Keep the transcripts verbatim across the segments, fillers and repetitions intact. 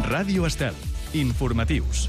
Ràdio Estel. Informatius.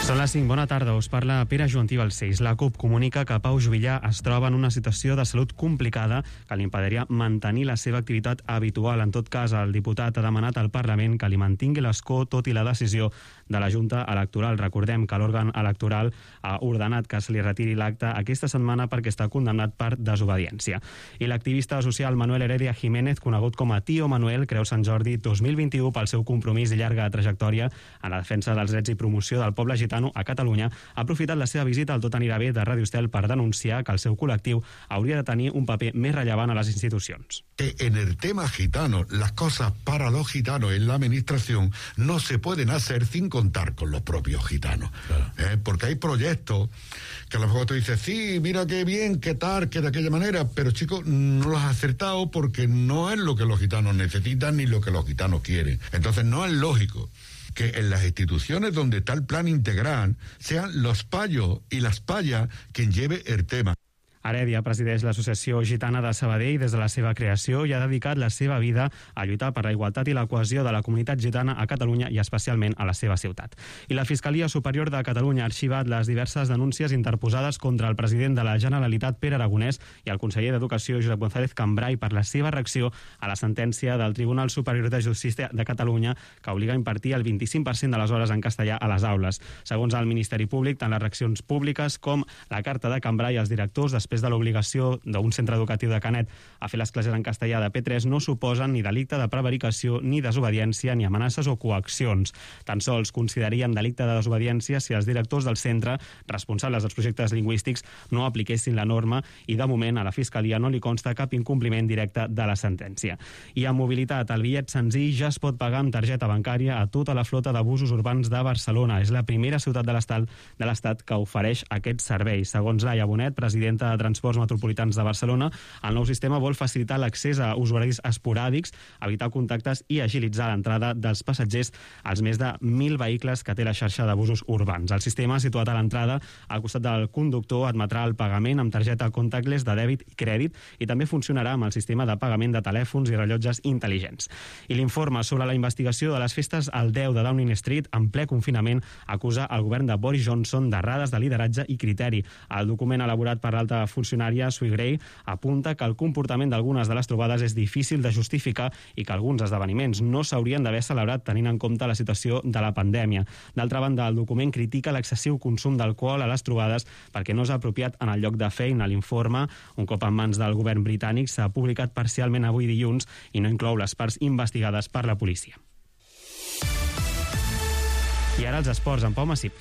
Són les cinc. Bona tarda. Us parla Pere Joantí Balcells. La CUP comunica que Pau Juvillà es troba en una situació de salut complicada que li impediria mantenir la seva activitat habitual. En tot cas, el diputat ha demanat al Parlament que li mantingui l'escó tot i la decisió de la Junta Electoral. Recordem que l'òrgan electoral ha ordenat que se li retiri l'acte aquesta setmana perquè està condemnat per desobediència. I l'activista social Manuel Heredia Jiménez, conegut com a Tío Manuel, creu Sant Jordi dos mil vint-i-u pel seu compromís i llarga trajectòria en la defensa dels drets i promoció del poble gitano a Catalunya, ha aprofitat la seva visita al Tot anirà bé de Ràdio Estel per denunciar que el seu col·lectiu hauria de tenir un paper més rellevant a les institucions. En el tema gitano, las cosas para los gitanos en la administración no se pueden hacer sin contar con los propios gitanos. Claro. ¿Eh? Porque hay proyectos que a lo mejor tú dices, sí, mira qué bien, qué tal, que de aquella manera, pero chicos, no los has acertado porque no es lo que los gitanos necesitan ni lo que los gitanos quieren. Entonces no es lógico que en las instituciones donde está el plan integral sean los payos y las payas quien lleve el tema. Heredia presideix l'Associació Gitana de Sabadell des de la seva creació i ha dedicat la seva vida a lluitar per la igualtat i la cohesió de la comunitat gitana a Catalunya i especialment a la seva ciutat. I la Fiscalia Superior de Catalunya ha arxivat les diverses denúncies interposades contra el president de la Generalitat, Pere Aragonès, i el conseller d'Educació, Josep González Cambray, per la seva reacció a la sentència del Tribunal Superior de Justícia de Catalunya que obliga a impartir el vint-i-cinc per cent de les hores en castellà a les aules. Segons el Ministeri Públic, tant les reaccions públiques com la carta de Cambray als directors després de l'obligació d'un centre educatiu de Canet a fer les classes en castellà de P tres no suposen ni delicte de prevaricació, ni desobediència, ni amenaces o coaccions. Tan sols considerarien delicte de desobediència si els directors del centre, responsables dels projectes lingüístics, no apliquessin la norma i, de moment, a la Fiscalia no li consta cap incompliment directe de la sentència. I en mobilitat, el bitllet senzill ja es pot pagar amb targeta bancària a tota la flota de busos urbans de Barcelona. És la primera ciutat de l'Estat de l'Estat que ofereix aquest servei. Segons Laia Bonet, presidenta de Transports Metropolitans de Barcelona, el nou sistema vol facilitar l'accés a usuaris esporàdics, evitar contactes i agilitzar l'entrada dels passatgers als més de mil vehicles que té la xarxa de busos urbans. El sistema, situat a l'entrada, al costat del conductor, admetrà el pagament amb targeta contactless de dèbit i crèdit i també funcionarà amb el sistema de pagament de telèfons i rellotges intel·ligents. I l'informe sobre la investigació de les festes al deu de Downing Street en ple confinament acusa el govern de Boris Johnson d'errades de lideratge i criteri. El document elaborat per l'alta funcionària Sue Gray apunta que el comportament d'algunes de les trobades és difícil de justificar i que alguns esdeveniments no s'haurien d'haver celebrat tenint en compte la situació de la pandèmia. D'altra banda, el document critica l'excessiu consum d'alcohol a les trobades perquè no és apropiat en el lloc de feina. L'informe, un cop en mans del govern britànic, s'ha publicat parcialment avui dilluns i no inclou les parts investigades per la policia. I ara els esports, en Pau Massip.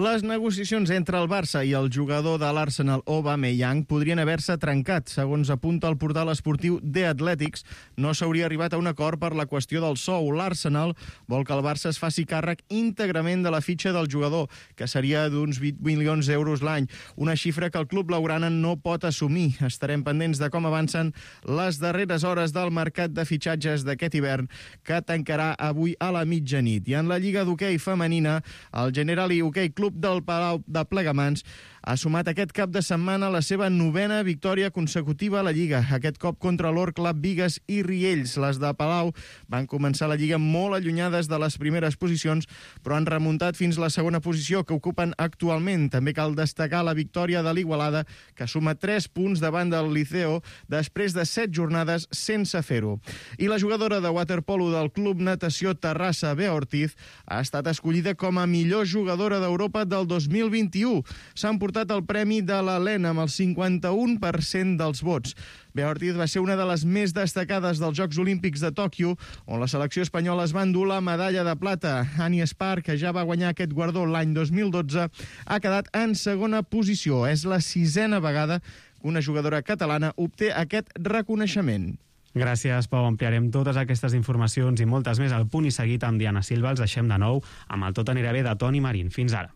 Les negociacions entre el Barça i el jugador de l'Arsenal Aubameyang podrien haver-se trencat. Segons apunta el portal esportiu The Athletics, no s'hauria arribat a un acord per la qüestió del sou. L'Arsenal vol que el Barça es faci càrrec íntegrament de la fitxa del jugador, que seria d'uns vint milions d'euros l'any, una xifra que el club blaugrana no pot assumir. Estarem pendents de com avancen les darreres hores del mercat de fitxatges d'aquest hivern, que tancarà avui a la mitjanit. I en la Lliga d'Hoquei femenina, el Generali Hoquei Club del Palau de Plegamans ha sumat aquest cap de setmana la seva novena victòria consecutiva a la Lliga, aquest cop contra l'Orcla, Bigues i Riells. Les de Palau van començar la Lliga molt allunyades de les primeres posicions, però han remuntat fins la segona posició que ocupen actualment. També cal destacar la victòria de l'Igualada, que suma tres punts davant del Liceo després de set jornades sense fer-ho. I la jugadora de waterpolo del Club Natació Terrassa, Bea Ortiz, ha estat escollida com a millor jugadora d'Europa del dos mil vint-i-u. S'han portat el premi de l'Helena amb el cinquanta-un per cent dels vots. Bea Ortiz va ser una de les més destacades dels Jocs Olímpics de Tòquio, on la selecció espanyola es va endur la medalla de plata. Annie Espar, que ja va guanyar aquest guardó l'any dos mil dotze, ha quedat en segona posició. És la sisena vegada que una jugadora catalana obté aquest reconeixement. Gràcies, Pau. Ampliarem totes aquestes informacions i moltes més al Punt i Seguit amb Diana Silva. Els deixem de nou amb el Tot anirà bé de Toni Marín. Fins ara.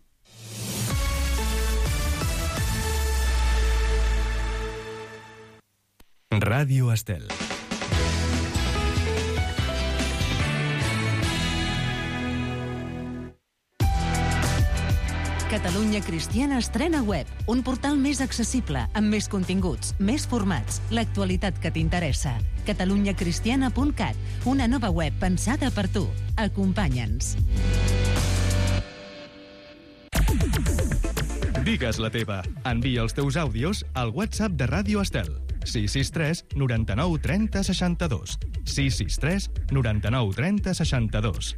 Ràdio Estel. Catalunya Cristiana estrena web, un portal més accessible, amb més continguts, més formats, l'actualitat que t'interessa. catalunya cristiana punt cat, una nova web pensada per tu. Acompanya'ns. Digues la teva. Envia els teus àudios al WhatsApp de Ràdio Estel. sis sis tres noranta-nou trenta seixanta-dos. sis sis tres noranta-nou trenta seixanta-dos.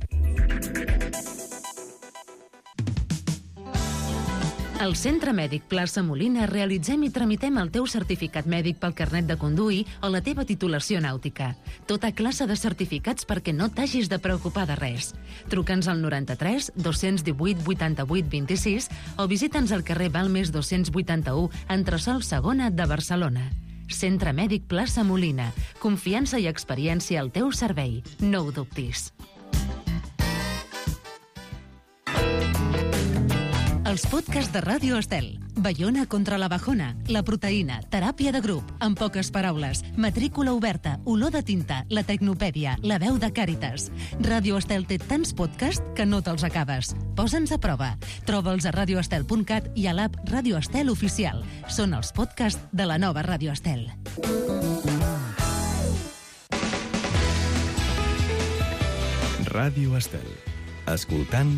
Al Centre Mèdic Plaça Molina realitzem i tramitem el teu certificat mèdic pel carnet de conduir o la teva titulació nàutica. Tota classe de certificats perquè no t'hagis de preocupar de res. Truca'ns al noranta-tres dos-cents divuit vuitanta-vuit vint-i-sis o visita'ns al carrer Balmes dos-cents vuitanta-u, entresòl segona de Barcelona. Centre Mèdic Plaça Molina. Confiança i experiència al teu servei. No ho dubtis. Els podcasts de Ràdio Estel. Baiona contra la bajona, la proteïna, teràpia de grup, en poques paraules, matrícula oberta, olor de tinta, la tecnopèdia, la veu de Càritas. Ràdio Estel té tants podcasts que no te'ls acabes. Posa'ns a prova. Troba'ls a radio estel punt cat i a l'app Ràdio Estel Oficial. Són els podcasts de la nova Ràdio Estel. Ràdio Estel. Escoltant,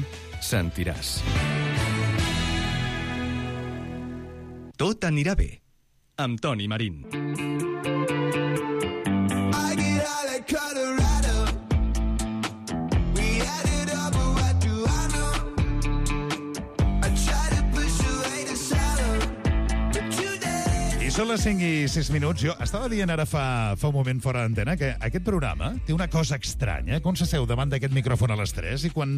sentiràs. Tot anirà bé, amb Toni Marín. Són les cinc i sis minuts. Jo estava dient ara fa, fa un moment fora d'antena que aquest programa té una cosa estranya, que un s'asseu davant d'aquest micròfon a les tres i quan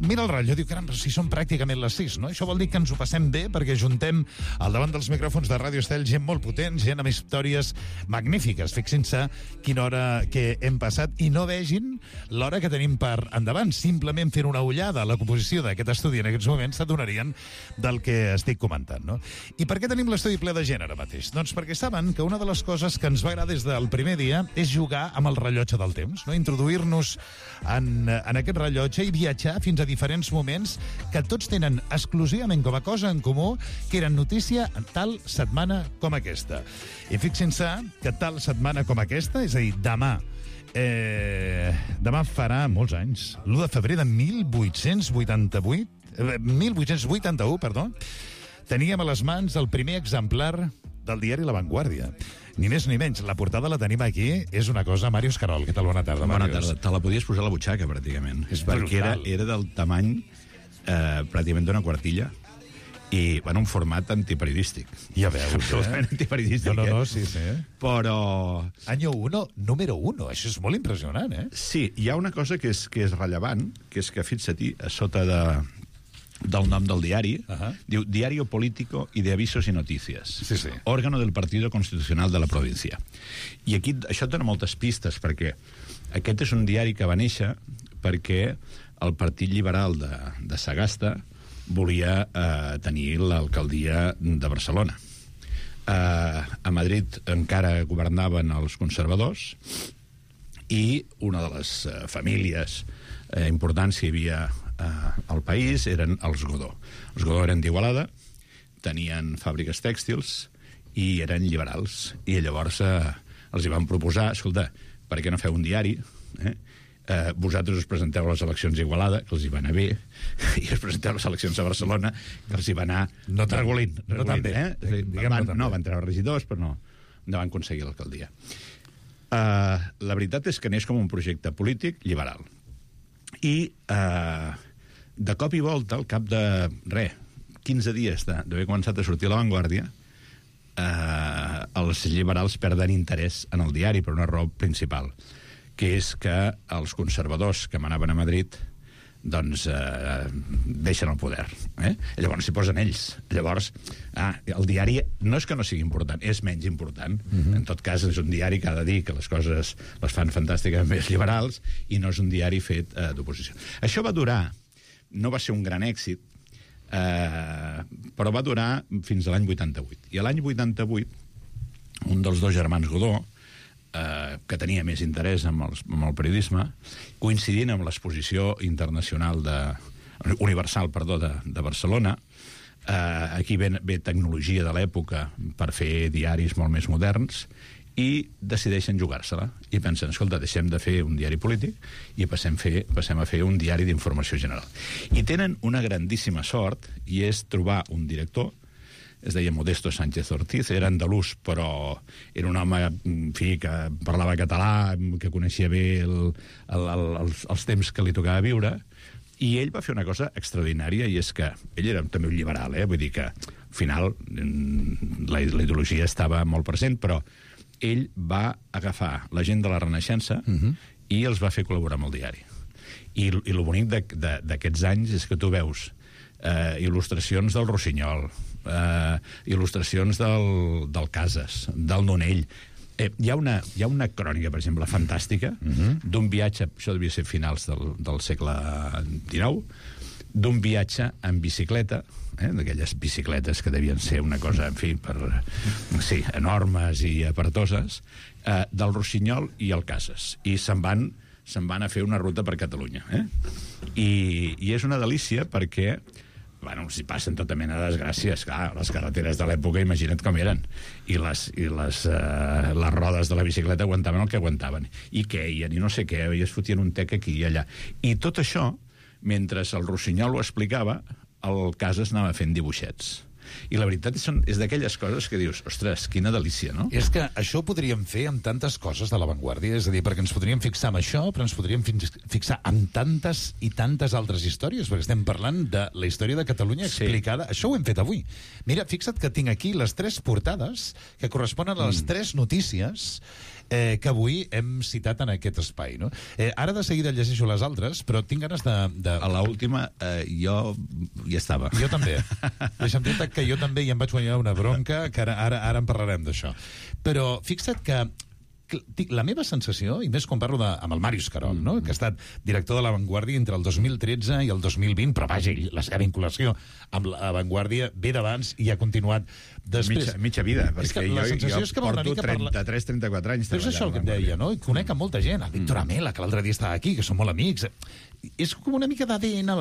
mira el rellotge diu, caram, si són pràcticament les sis, no? Això vol dir que ens ho passem bé perquè juntem al davant dels micròfons de Ràdio Estel gent molt potent, gent amb històries magnífiques. Fixin-se quina hora que hem passat i no vegin l'hora que tenim per endavant. Simplement fent una ullada a la composició d'aquest estudi en aquests moments s'adonarien del que estic comentant, no? I per què tenim l'estudi ple de gent ara mateix? Doncs perquè saben que una de les coses que ens va agradar des del primer dia és jugar amb el rellotge del temps, no? Introduir-nos en, en aquest rellotge i viatjar fins a diferents moments que tots tenen exclusivament com a cosa en comú que eren notícia en tal setmana com aquesta. I fixin-se que tal setmana com aquesta, és a dir, demà, eh, demà farà molts anys, l'u de febrer de mil vuit-cents vuitanta-vuit, eh, mil vuit-cents vuitanta-u, perdó, teníem a les mans el primer exemplar del diari La Vanguardia. Ni més ni menys. La portada la tenim aquí. És una cosa... Màrius Carol, què tal? Bona tarda, Bona Màrius. tarda. Te la podies posar a la butxaca, pràcticament. És perquè era, brutal. era del tamany eh, pràcticament d'una quartilla i en un format antiperiodístic. Ja veus, Absolutament eh? antiperiodístic. No, no, no, eh? sí, sí. Però... Año uno, número uno. Això és molt impressionant, eh? Sí, hi ha una cosa que és, que és rellevant, que és que, fixa-t'hi, a sota de... del nom del diari, Ajá. diu Diario Político y de Avisos y Noticias, Sí, sí. órgano del Partido Constitucional de la província. I aquí això dona moltes pistes, perquè aquest és un diari que va néixer perquè el Partit Liberal de, de Sagasta volia eh, tenir l'alcaldia de Barcelona. Eh, a Madrid encara governaven els conservadors i una de les eh, famílies eh, importants que hi havia eh, al país eren els Godó. Els Godó eren d'Igualada, tenien fàbriques tèxtils i eren liberals. I llavors eh, els hi van proposar, escolta, per què no feu un diari? Eh? Eh, vosaltres us presenteu a les eleccions a Igualada, que els hi va anar bé, i us presenteu a les eleccions a Barcelona, que els hi va anar No tan- regulint. no tan bé. Eh? És a dir, Diguem van, no tan no, bé. van treure regidors, però no, no van aconseguir l'alcaldia. Uh, la veritat és que neix com un projecte polític liberal. I uh, de cop i volta, al cap de, re, quinze dies d'haver començat a sortir a La Vanguardia, uh, els liberals perden interès en el diari per una raó principal, que és que els conservadors que manaven a Madrid doncs eh, deixen el poder. Eh? Llavors s'hi posen ells. Llavors, ah, el diari no és que no sigui important, és menys important. Uh-huh. En tot cas, és un diari que ha de dir que les coses les fan fantàsticament més liberals i no és un diari fet eh, d'oposició. Això va durar, no va ser un gran èxit, eh, però va durar fins a l'any vuitanta-vuit. I a l'any vuitanta-vuit, un dels dos germans Godó, eh, que tenia més interès en, els, en el periodisme, coincidint amb l'exposició internacional de, universal perdó, de, de Barcelona, Uh, aquí ve, ve tecnologia de l'època per fer diaris molt més moderns, i decideixen jugar-se-la i pensen, escolta, deixem de fer un diari polític i passem, fer, passem a fer un diari d'informació general. I tenen una grandíssima sort, i és trobar un director, es deia Modesto Sánchez Ortiz, era andalús, però era un home, en fi, que parlava català, que coneixia bé el, el, el, els, els temps que li tocava viure, i ell va fer una cosa extraordinària, i és que ell era també un liberal, eh? Vull dir que al final la, la ideologia estava molt present, però ell va agafar la gent de la Renaixença uh-huh. i els va fer col·laborar amb el diari. I, i el bonic d'aquests anys és que tu veus eh, il·lustracions del Rossinyol, eh, il·lustracions del, del Casas, del Nonell. Eh, hi, ha una, hi ha una crònica, per exemple, fantàstica, uh-huh. d'un viatge, això devia ser finals del, del segle dinou, d'un viatge en bicicleta, eh, d'aquelles bicicletes que devien ser una cosa, en fi, per, sí, enormes i apartoses, eh, del Rossinyol i el Casas. I se'n van, se'n van a fer una ruta per Catalunya. Eh? I, I és una delícia perquè, bueno, s'hi passen tota mena de desgràcies. Clar, les carreteres de l'època, imagina't com eren. I les, i les, eh, les rodes de la bicicleta aguantaven el que aguantaven. I queien, i no sé què, i es fotien un tec aquí i allà. I tot això, mentre el Rossinyol ho explicava, el Casas anava fent dibuixets. I la veritat és, és d'aquelles coses que dius, ostres, quina delícia, no? És que això ho podríem fer amb tantes coses de l'avantguàrdia, és a dir, perquè ens podríem fixar en això, però ens podríem fixar en tantes i tantes altres històries, perquè estem parlant de la història de Catalunya explicada. Sí. Això ho hem fet avui. Mira, fixa't que tinc aquí les tres portades que corresponen a les mm. tres notícies eh, que avui hem citat en aquest espai, no? Eh, ara de seguida llegeixo les altres, però tinc ganes de... de... A l'última eh, jo hi estava. Jo també. Deixa'm dir-te que jo també hi em vaig guanyar una bronca, que ara, ara, ara en parlarem d'això. Però fixa't que la meva sensació, i més quan parlo de, amb el Màrius Carol, no? que ha estat director de l'Avantguàrdia entre el dos mil tretze i el dos mil vint, però vaja, la seva vinculació amb l'Avantguàrdia ve d'abans i ha continuat després. Mitja, mitja vida, és perquè que jo, jo jo porto trenta-tres trenta-quatre anys. Però és això el que et deia, no? I conec a molta gent, a Víctor Amela, que l'altre dia estava aquí, que són molt amics. És com una mica d'A D N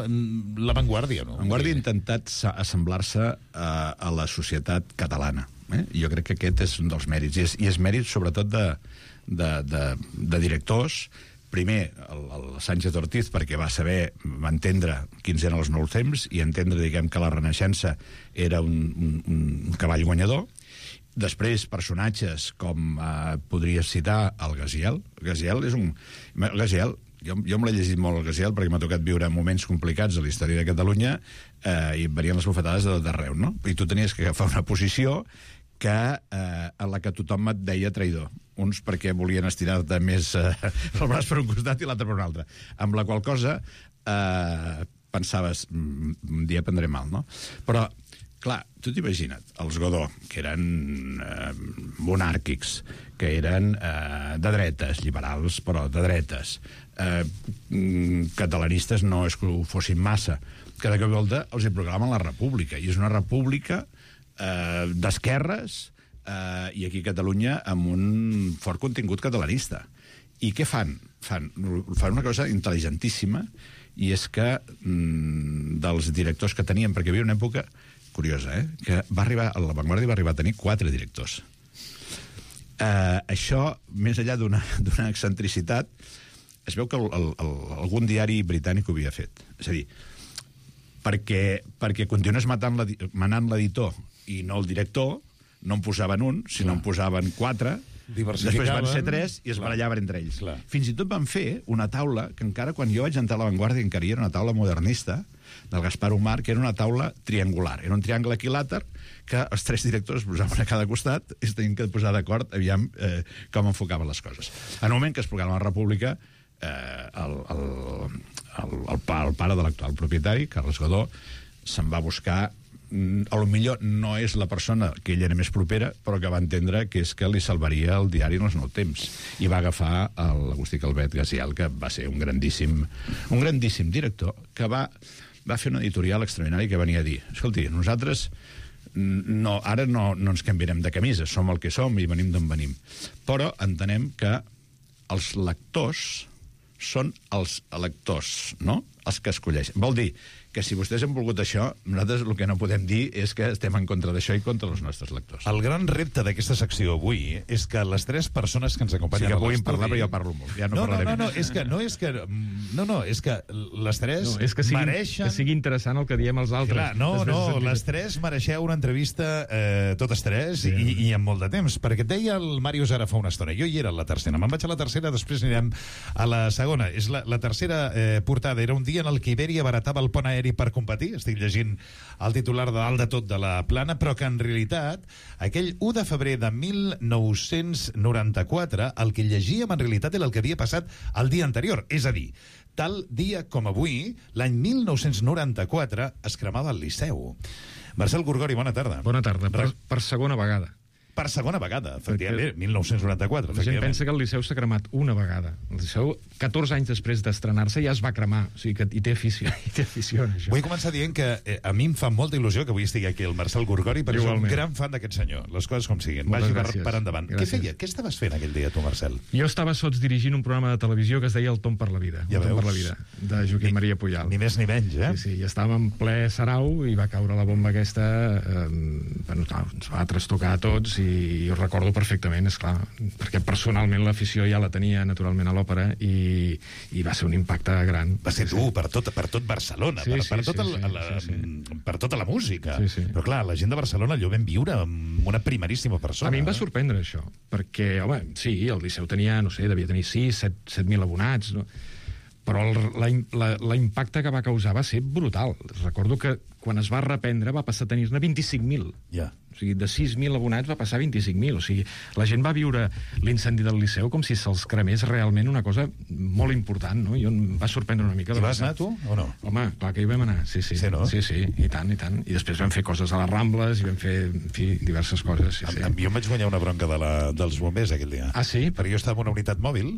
l'Avantguàrdia, no? L'Avantguàrdia ha intentat assemblar-se a, a la societat catalana. Eh? Jo crec que aquest és un dels mèrits, i és, i és mèrit sobretot de, de, de, de directors. Primer, el, el Sánchez Ortiz, perquè va saber, va entendre quins eren els nous temps i entendre, diguem, que la Renaixença era un, un, un cavall guanyador. Després, personatges com eh, podries citar el Gaziel. Gaziel és un... Gaziel, jo, jo me l'he llegit molt, el Gaziel, perquè m'ha tocat viure moments complicats a la història de Catalunya eh, i venien les bufetades d'arreu, no? I tu tenies que agafar una posició que, eh, en la que tothom et deia traïdor. Uns perquè volien estirar-te més eh, el braç per un costat i l'altre per un altre. Amb la qual cosa eh, pensaves, un dia prendré mal, no? Però, clar, tu t'imagina't, els Godó, que eren eh, monàrquics, que eren eh, de dretes, liberals, però de dretes, eh, catalanistes no és que ho fossin massa, que de cop i volta els hi proclamen la república, i és una república eh, d'esquerres, eh, i aquí a Catalunya amb un fort contingut catalanista. I què fan? Fan, fan una cosa intel·ligentíssima, i és que mm, dels directors que tenien, perquè hi havia una època curiosa, eh, que va arribar, a l'Avantguàrdia va arribar a tenir quatre directors. Eh, això, més enllà d'una d'una excentricitat, es veu que el, el, el, algun diari britànic ho havia fet. És a dir, perquè, perquè continués matant la, manant l'editor i no el director, no en posaven un, sinó en posaven quatre, després van ser tres i es barallaven entre ells. Clar. Fins i tot van fer una taula que encara quan jo vaig entrar a l'Avantguàrdia encara era una taula modernista del Gaspar Umar, que era una taula triangular. Era un triangle equilàter que els tres directors posaven a cada costat i es tenien que posar d'acord aviam eh, com enfocaven les coses. En el moment que es proclama la República, eh, el, el, el, el, pa, el pare de l'actual propietari, Carles Godó, se'n va buscar. A lo millor no és la persona que ell era més propera, però que va entendre que és que li salvaria el diari en els nous temps. I va agafar l'Agustí Calvet Gaziel, que va ser un grandíssim, un grandíssim director, que va, va fer una editorial extraordinària que venia a dir, escolti, nosaltres no, ara no, no ens canviarem de camisa, som el que som i venim d'on venim. Però entenem que els lectors són els electors, no? Els que escolleixen. Vol dir que si vostès han volgut això, nosaltres el que no podem dir és que estem en contra d'això i contra els nostres lectors. El gran repte d'aquesta secció avui és que les tres persones que ens acompanyen Sí que a puguin l'estudi... parlar, però jo parlo molt. Ja no, No, no, parlaré no, no, més. és que, no és que... No, no, és que les tres No, és que sigui, mereixen... que sigui interessant el que diem els altres. Clar, no, Després no, de sentir- les tres mereixeu una entrevista eh, totes tres sí. i, i amb molt de temps, perquè et deia el Màrius ara fa una estona, jo hi era a la tercera, me'n vaig a la tercera, després anirem a la segona. És la, la tercera eh, portada, era un dia en el que Iberia baratava el pont aeri per competir, estic llegint el titular de dalt de tot de la plana, però que en realitat aquell u de febrer de mil nou-cents noranta-quatre el que llegíem en realitat era el que havia passat el dia anterior, és a dir, tal dia com avui, l'any mil nou-cents noranta-quatre, es cremava el Liceu. Marcel Gorgori, bona tarda. Bona tarda, per, per segona vegada. Per segona vegada, efectivament, mil nou-cents noranta-quatre. La gent pensa que el Liceu s'ha cremat una vegada. El Liceu, catorze anys després d'estrenar-se, ja es va cremar. O sigui que hi té afició, hi té afició en això. Vull començar dient que eh, a mi em fa molta il·lusió que avui estigui aquí el Marcel Gorgori, perquè soc un gran fan d'aquest senyor. Les coses com siguin. Moltes Vagi per, gràcies. per endavant. Gràcies. Què feia? Què estaves fent aquell dia, tu, Marcel? Jo estava sots dirigint un programa de televisió que es deia El Tom per la vida. Ja El Tom veus. per la vida, de Joaquim Ni- Maria Pujal. Ni més ni menys, eh? Sí, sí, i estàvem en ple sarau i va caure la bomba aquesta, eh, bueno, clar, ens va trastocar a tots i, i ho recordo perfectament, és clar, perquè personalment l'afició ja la tenia naturalment a l'òpera i, i va ser un impacte gran. Va ser dur per tot, per tot Barcelona, Sí, per, sí, per, sí, tot el, sí, la, sí, sí. per tota la música. Sí, sí. Però clar, la gent de Barcelona allò vam viure amb una primeríssima persona. A mi em va eh? sorprendre això, perquè, home, sí, el Liceu tenia, no sé, devia tenir sis, set mil abonats, no? Però el, la, la, la impacte que va causar va ser brutal. Recordo que quan es va reprendre va passar a tenir-ne vint-i-cinc mil. Ja. O sigui, de sis mil abonats va passar a vint-i-cinc mil. O sigui, la gent va viure l'incendi del Liceu com si se'ls cremés realment una cosa molt important, no? Jo em va sorprendre una mica. I vas anar, tu, o no? Home, clar que hi vam anar, sí, sí. Sí, no? Sí, sí, i tant, i tant. I després vam fer coses a les Rambles i vam fer, en fi, diverses coses, sí, sí. Em- Jo em vaig guanyar una bronca de la, dels bombers aquell dia. Ah, sí? Perquè jo estava en una unitat mòbil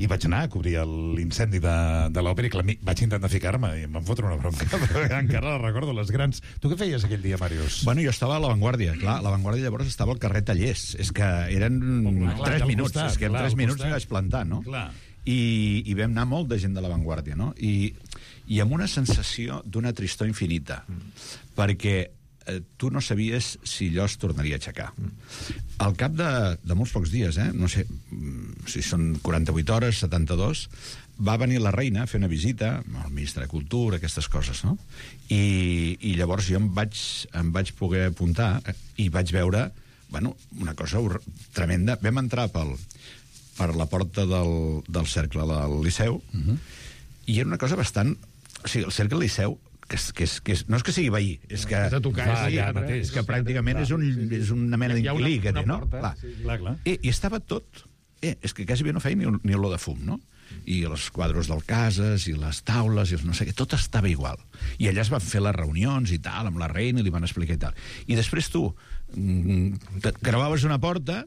i vaig anar a cobrir l'incendi de, de l'òpera i clar, mi- vaig intentar ficar-me i em van fotre una bronca, però encara la recordo, les grans. Tu què feies aquell dia, Màrius? Bueno, jo estava a l'avantguàrdia, clar, a l'avantguàrdia llavors estava al carrer Tallers, és que eren clar, tres al minuts, costat, és que en clar, tres al minuts costat. m'hi vaig plantar, no? Clar. I, i vam anar molt de gent de l'avantguàrdia, no? I, i amb una sensació d'una tristor infinita, perquè eh, tu no sabies si allò es tornaria a aixecar. Al cap de, de molts pocs dies, eh, no sé mm, si són quaranta-vuit hores, setanta-dos, va venir la reina a fer una visita al ministre de Cultura, aquestes coses, no? I, i llavors jo em vaig, em vaig poder apuntar eh, i vaig veure, bueno, una cosa hor- tremenda. Vam entrar pel, per la porta del, del cercle del Liceu, uh-huh. i era una cosa bastant... O sigui, el cercle del Liceu, que és, que és, que és, no és que sigui veí, és que, És a tocar, Va, és a ja tocar, mateix. és que pràcticament és, un, és una mena Hi ha una- d'inquilí que té, una no? porta, Clar. sí, Clar, clar. Eh, I estava tot... Eh, és que quasi bé no feia ni, ni olor de fum, no? I els quadros del Cases, i les taules, i els no sé què, tot estava igual. I allà es van fer les reunions i tal, amb la reina, i li van explicar i tal. I després tu mm, te creuaves una porta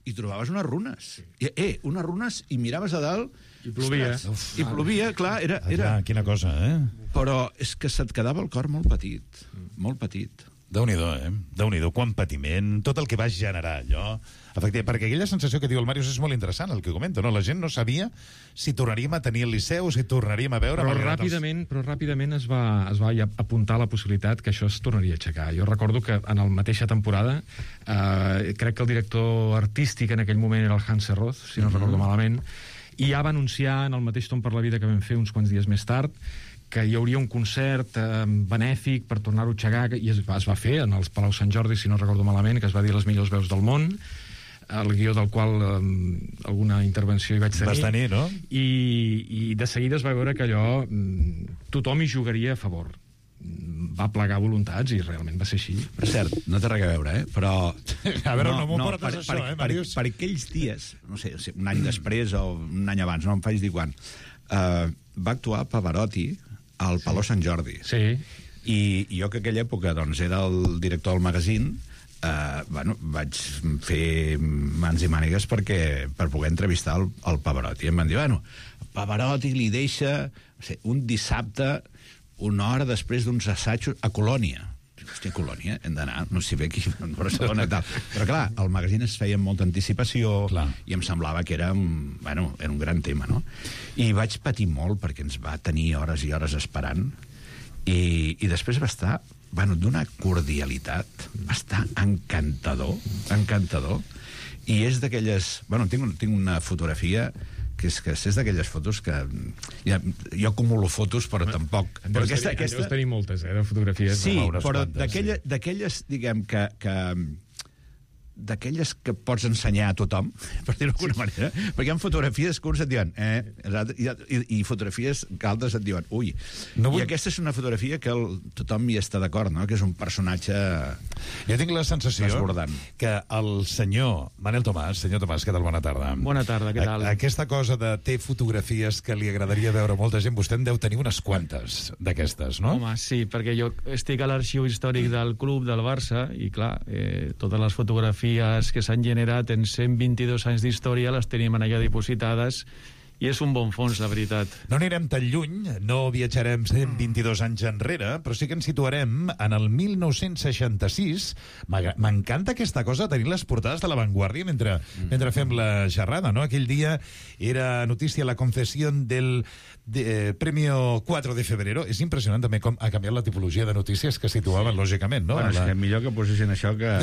i trobaves unes runes. I, eh, unes runes, i miraves a dalt... I plovia. Ostres, I plovia, clar, era... Ah, era... clar, quina cosa, eh? Però és que se't quedava el cor molt petit, molt petit. Déu-n'hi-do, eh? Déu-n'hi-do, quant patiment, tot el que va generar allò. Efectivament, perquè aquella sensació que diu el Màrius és molt interessant, el que comenta, no? La gent no sabia si tornaríem a tenir el Liceu, si tornaríem a veure... Però malgrat els- ràpidament, però ràpidament es va, es va ja apuntar la possibilitat que això es tornaria a aixecar. Jo recordo que en la mateixa temporada, eh, crec que el director artístic en aquell moment era el Hans Serroz, si no recordo malament, i ja va anunciar en el mateix Tom per la vida que vam fer uns quants dies més tard que hi hauria un concert eh, benèfic per tornar-ho a aixecar, i es va, es va fer en els Palau Sant Jordi, si no recordo malament, que es va dir les millors veus del món, el guió del qual eh, alguna intervenció hi vaig tenir. Vas tenir, no? I, i de seguida es va veure que allò mm, tothom hi jugaria a favor. Mm, va plegar voluntats i realment va ser així. Per cert, no té res a veure, eh? Però... A veure, no m'ho portes, per, això, per, eh, per, Màrius? per aquells dies, no sé, un any després o un any abans, no em faig dir quan, uh, va actuar Pavarotti al Palau Sant Jordi. Sí. I, i jo que aquella època doncs, era el director del magazín, eh, bueno, vaig fer mans i mànigues perquè, per poder entrevistar el, el Pavarotti. I em van dir, bueno, Pavarotti li deixa no sé, un dissabte una hora després d'uns assajos a Colònia. Hòstia, Colònia, hem d'anar, no sé bé aquí, a Barcelona i tal. Però clar, el magazín es feia amb molta anticipació Clar. i em semblava que era un, bueno, era un gran tema, no? I vaig patir molt perquè ens va tenir hores i hores esperant I, i després va estar, bueno, d'una cordialitat, va estar encantador, encantador, i és d'aquelles... Bueno, tinc, tinc una fotografia que és, que és d'aquelles fotos que... Ja, jo acumulo fotos, però tampoc... En Però deus, aquesta, tenir, aquesta... deus tenir moltes, eh, de fotografies. Sí, no? però quantes, d'aquelles, sí. d'aquelles, diguem, que... que d'aquelles que pots ensenyar a tothom, per dir-ho d'alguna manera, perquè hi ha fotografies que uns et diuen eh, i, i, i fotografies que altres et diuen ui, no vull... i aquesta és una fotografia que el, tothom hi està d'acord, no? Que és un personatge jo tinc la sensació desbordant. Que el senyor Manel Tomàs, senyor Tomàs, què tal? Bona tarda. Bona tarda, què tal? A, aquesta cosa de té fotografies que li agradaria veure molta gent, vostè en deu tenir unes quantes d'aquestes, no? Home, sí, perquè jo estic a l'arxiu històric del club del Barça i, clar, eh, totes les fotografies que s'han generat en cent vint-i-dos anys d'història les tenim allà dipositades i és un bon fons, la veritat. No anirem tan lluny, no viatjarem cent vint-i-dos anys enrere, però sí que ens situarem en el mil nou-cents seixanta-sis. M'encanta aquesta cosa, tenir les portades de La Vanguardia mentre, mm. mentre fem la xerrada, no? Aquell dia era notícia la concessió del de, eh, Premio quatre de febrero. És impressionant també com ha canviat la tipologia de notícies que situaven, sí. lògicament, no? Bueno, és la... que millor que posessin això que...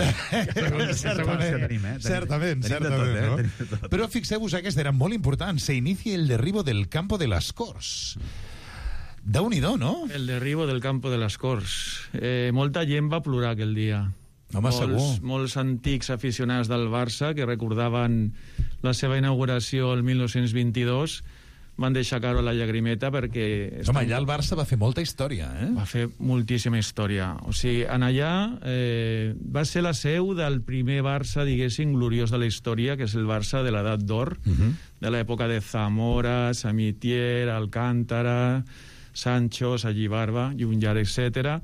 certament, certament, tenim, eh? certament, tenim certament, tot, eh? no? Tot. Però fixeu-vos, aquesta era molt important. Se inicia el derribo del campo de las Corts. Déu-n'hi-do, no? El derribo del campo de les Corts. Eh, molta gent va plorar aquell dia. Home, molts, segur. Molts antics aficionats del Barça que recordaven la seva inauguració el mil nou-cents vint-i-dos van deixar caure la llagrimeta perquè... Home, allà el Barça va fer molta història, eh? Va fer moltíssima història. O sigui, en allà eh, va ser la seu del primer Barça, diguéssim, gloriós de la història, que és el Barça de l'edat d'or, uh -huh. de l'època de Zamora, Samitier, Alcántara, Sancho, Sallibarba, Llunjar, etcètera.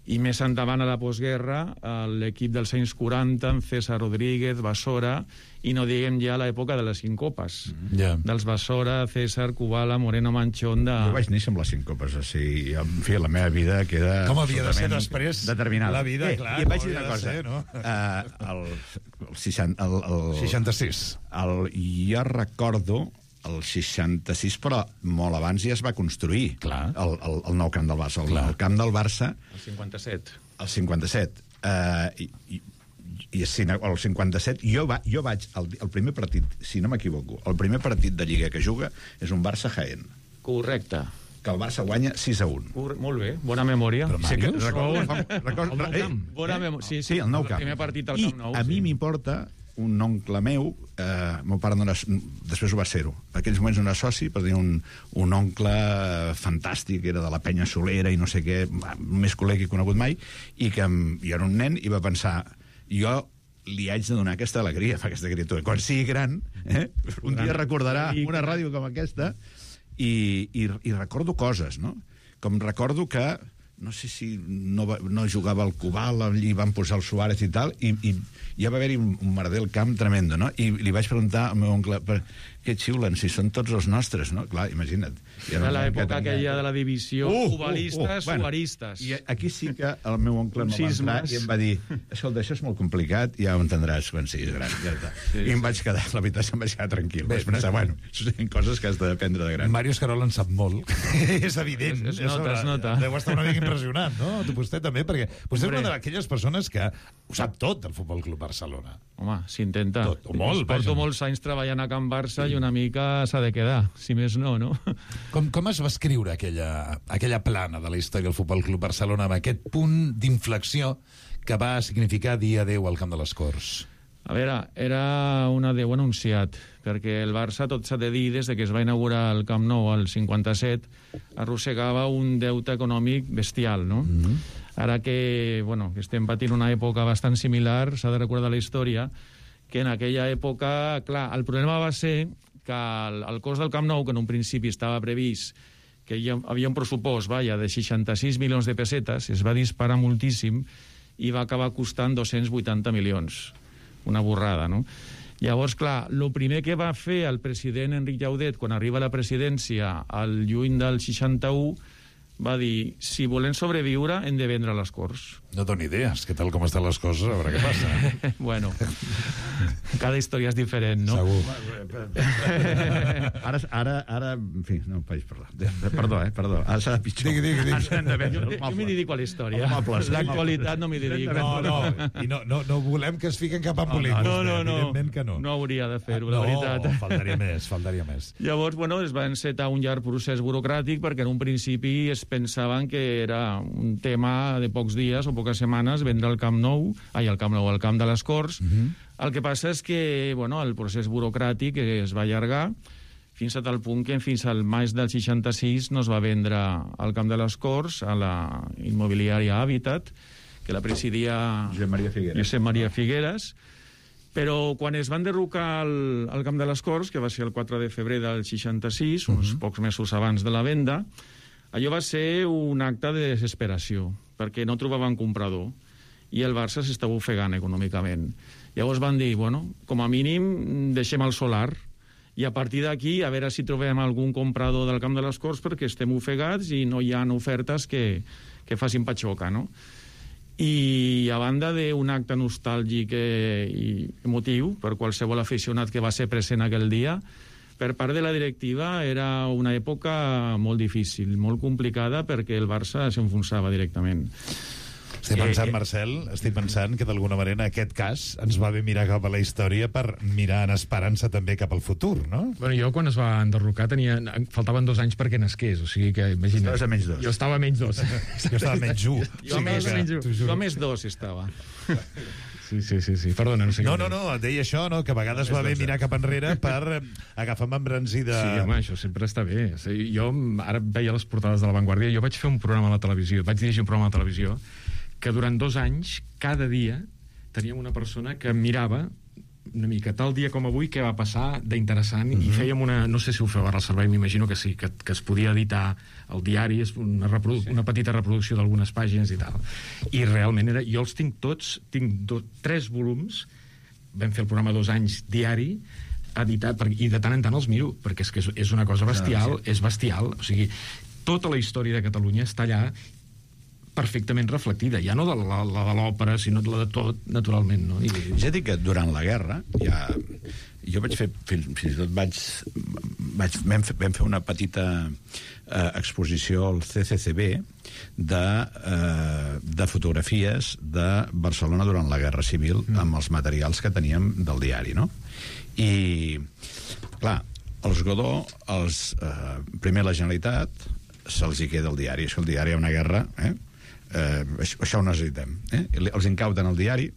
I més endavant a la postguerra, l'equip dels anys quaranta, amb César Rodríguez, Basora, i no diguem ja l'època de les cinc copes. Mm. Yeah. Dels Basora, César, Kubala, Moreno, Manchón... De... Jo vaig néixer amb les cinc copes, o sigui, en fi, la meva vida queda... Com havia de ser després? Determinada. La vida, eh, clar. I et vaig dir una cosa. Ser, no? uh, el, el, seixanta, el, el, seixanta-sis. El, jo recordo... el seixanta-sis, però molt abans ja es va construir el, el, el nou camp del Barça. El, el camp del Barça... El cinquanta-set. El cinquanta-set. Uh, i, i, i el cinquanta-set, jo, va, jo vaig... El, el primer partit, si no m'equivoco, el primer partit de Lliga que juga és un Barça-Jaén. Correcte. Que el Barça guanya sis a un. Cor molt bé, bona memòria. Però, sí, que, recordo, recordo, el nou camp. Bona memòria. Sí, sí, sí, el nou camp. El primer partit al I Camp Nou. a mi sí. m'importa un oncle meu, eh, meu pare no era, després ho va ser-ho, en aquells moments no era soci, però tenia un, un oncle fantàstic, era de la penya Solera i no sé què, més col·lega que he conegut mai, i que jo era un nen i va pensar, jo li haig de donar aquesta alegria, fa aquesta criatura. Quan sigui gran, eh, un dia recordarà una ràdio com aquesta i, i, i recordo coses, no? Com recordo que no sé si no, va, no jugava al Cubal, allí van posar el Suárez i tal, i, i ja va haver-hi un, un merder al camp tremendo, no? I li vaig preguntar al meu oncle, per què xiulen, si són tots els nostres, no? Clar, imagina't. Era l'època aquella de la divisió uh, cubalistes, uh, uh, suaristes. Bueno, I aquí sí que el meu oncle em va entrar i em va dir, escolta, això és molt complicat, ja ho entendràs quan siguis gran. Ja està. Sí, I em vaig quedar, la veritat, em vaig quedar tranquil. Vaig pensar, bueno, són coses que has d'aprendre de gran. Mario Escarol en sap molt. És evident. Es, es nota, es nota. Deu estar una mica impressionat, no? Vostè també, perquè vostè és una d'aquelles persones que ho sap tot del Futbol Club Barcelona. Home, s'intenta. Tot, o molt, Porto vaja. molts anys treballant a Can Barça i una mica s'ha de quedar, si més no, no? Com, com es va escriure aquella, aquella plana de la història del Futbol Club Barcelona amb aquest punt d'inflexió que va significar dir adeu al Camp de les Corts? A veure, era un adeu anunciat, perquè el Barça, tot s'ha de dir, des de que es va inaugurar el Camp Nou al cinquanta-set, arrossegava un deute econòmic bestial, no? Mm-hmm. Ara que, bueno, que estem patint una època bastant similar, s'ha de recordar la història, que en aquella època, clar, el problema va ser que el, el cost del Camp Nou, que en un principi estava previst que hi havia un pressupost, vaja, de seixanta-sis milions de pessetes, es va disparar moltíssim i va acabar costant dos-cents vuitanta milions. Una borrada, no? Llavors, clar, el primer que va fer el president Enric Llaudet quan arriba a la presidència al juny del seixanta-u va dir, si volem sobreviure hem de vendre les Corts. No doni idees, què tal com estan les coses, a veure què passa. Bueno, cada història és diferent, no? Segur. Ara, ara, ara, en fi, no em faig parlar. Perdó, eh, perdó. Ara serà pitjor. Digui, digui, digui. Jo, jo m'hi dedico a la història. L'actualitat no m'hi dedico. No, no, i no, no, no volem que es fiquen cap en polítics. No, no, no. Evidentment que no. No hauria de fer-ho, no, la veritat. No, faltaria més, faltaria més. Llavors, bueno, es va encetar un llarg procés burocràtic perquè en un principi es pensaven que era un tema de pocs dies o poques setmanes vendre el Camp Nou, ai, el Camp Nou, el Camp de les Corts. Uh-huh. El que passa és que, bueno, el procés burocràtic es va allargar fins a tal punt que fins al maig del seixanta-sis no es va vendre el Camp de les Corts a la immobiliària Habitat, que la presidia Josep Maria Figueres. Josep Maria Figueres. Però quan es van derrocar el, el Camp de les Corts, que va ser el quatre de febrer del seixanta-sis, uns uh-huh. pocs mesos abans de la venda, allò va ser un acte de desesperació, perquè no trobaven comprador i el Barça s'estava ofegant econòmicament. Llavors van dir, bueno, com a mínim deixem el solar i a partir d'aquí a veure si trobem algun comprador del Camp de les Corts perquè estem ofegats i no hi ha ofertes que, que facin patxoca, no? I a banda d'un acte nostàlgic i emotiu per qualsevol aficionat que va ser present aquell dia, per part de la directiva era una època molt difícil, molt complicada, perquè el Barça s'enfonsava directament. Estic pensant, Marcel, estic pensant que d'alguna manera en aquest cas ens va bé mirar cap a la història per mirar en esperança també cap al futur, no? Bueno, jo quan es va enderrocar tenia, faltaven dos anys perquè nasqués, o sigui que imagina't. Estaves a menys dos. Jo estava a menys dos. Jo estava a menys un. Jo a més, jo a més dos estava. Sí, sí, sí, sí. Perdona, no sé No, què no, no, et deia això, no? Que a vegades va bé mirar cap enrere per agafar amb embranzida... Sí, home, això sempre està bé. O sigui, jo ara veia les portades de La Vanguardia, jo vaig fer un programa a la televisió, vaig dirigir un programa a la televisió, que durant dos anys, cada dia, teníem una persona que mirava una mica, tal dia com avui, què va passar d'interessant, uh-huh. i fèiem una... No sé si ho feu ara al servei, m'imagino que sí, que, que es podia editar el diari, una, reprodu sí. una petita reproducció d'algunes pàgines i tal. I realment era... Jo els tinc tots, tinc do, tres volums, vam fer el programa dos anys diari, editat, per, i de tant en tant els miro, perquè és que és, és una cosa bestial, és bestial, o sigui, tota la història de Catalunya està allà perfectament reflectida, ja no de la, la de l'òpera, sinó de la de tot, naturalment, no? I... Ja dic que durant la guerra, ja, jo vaig fer, fins, fins i tot vaig, vaig vam, fer, vam fer una petita eh, exposició al C C C B de, eh, de fotografies de Barcelona durant la Guerra Civil, mm. amb els materials que teníem del diari, no? I, clar, els Godó, els, eh, primer la Generalitat, se'ls hi queda el diari, és que el diari hi ha una guerra, eh? Eh, això, això ho necessitem, eh? Els incauten el diari,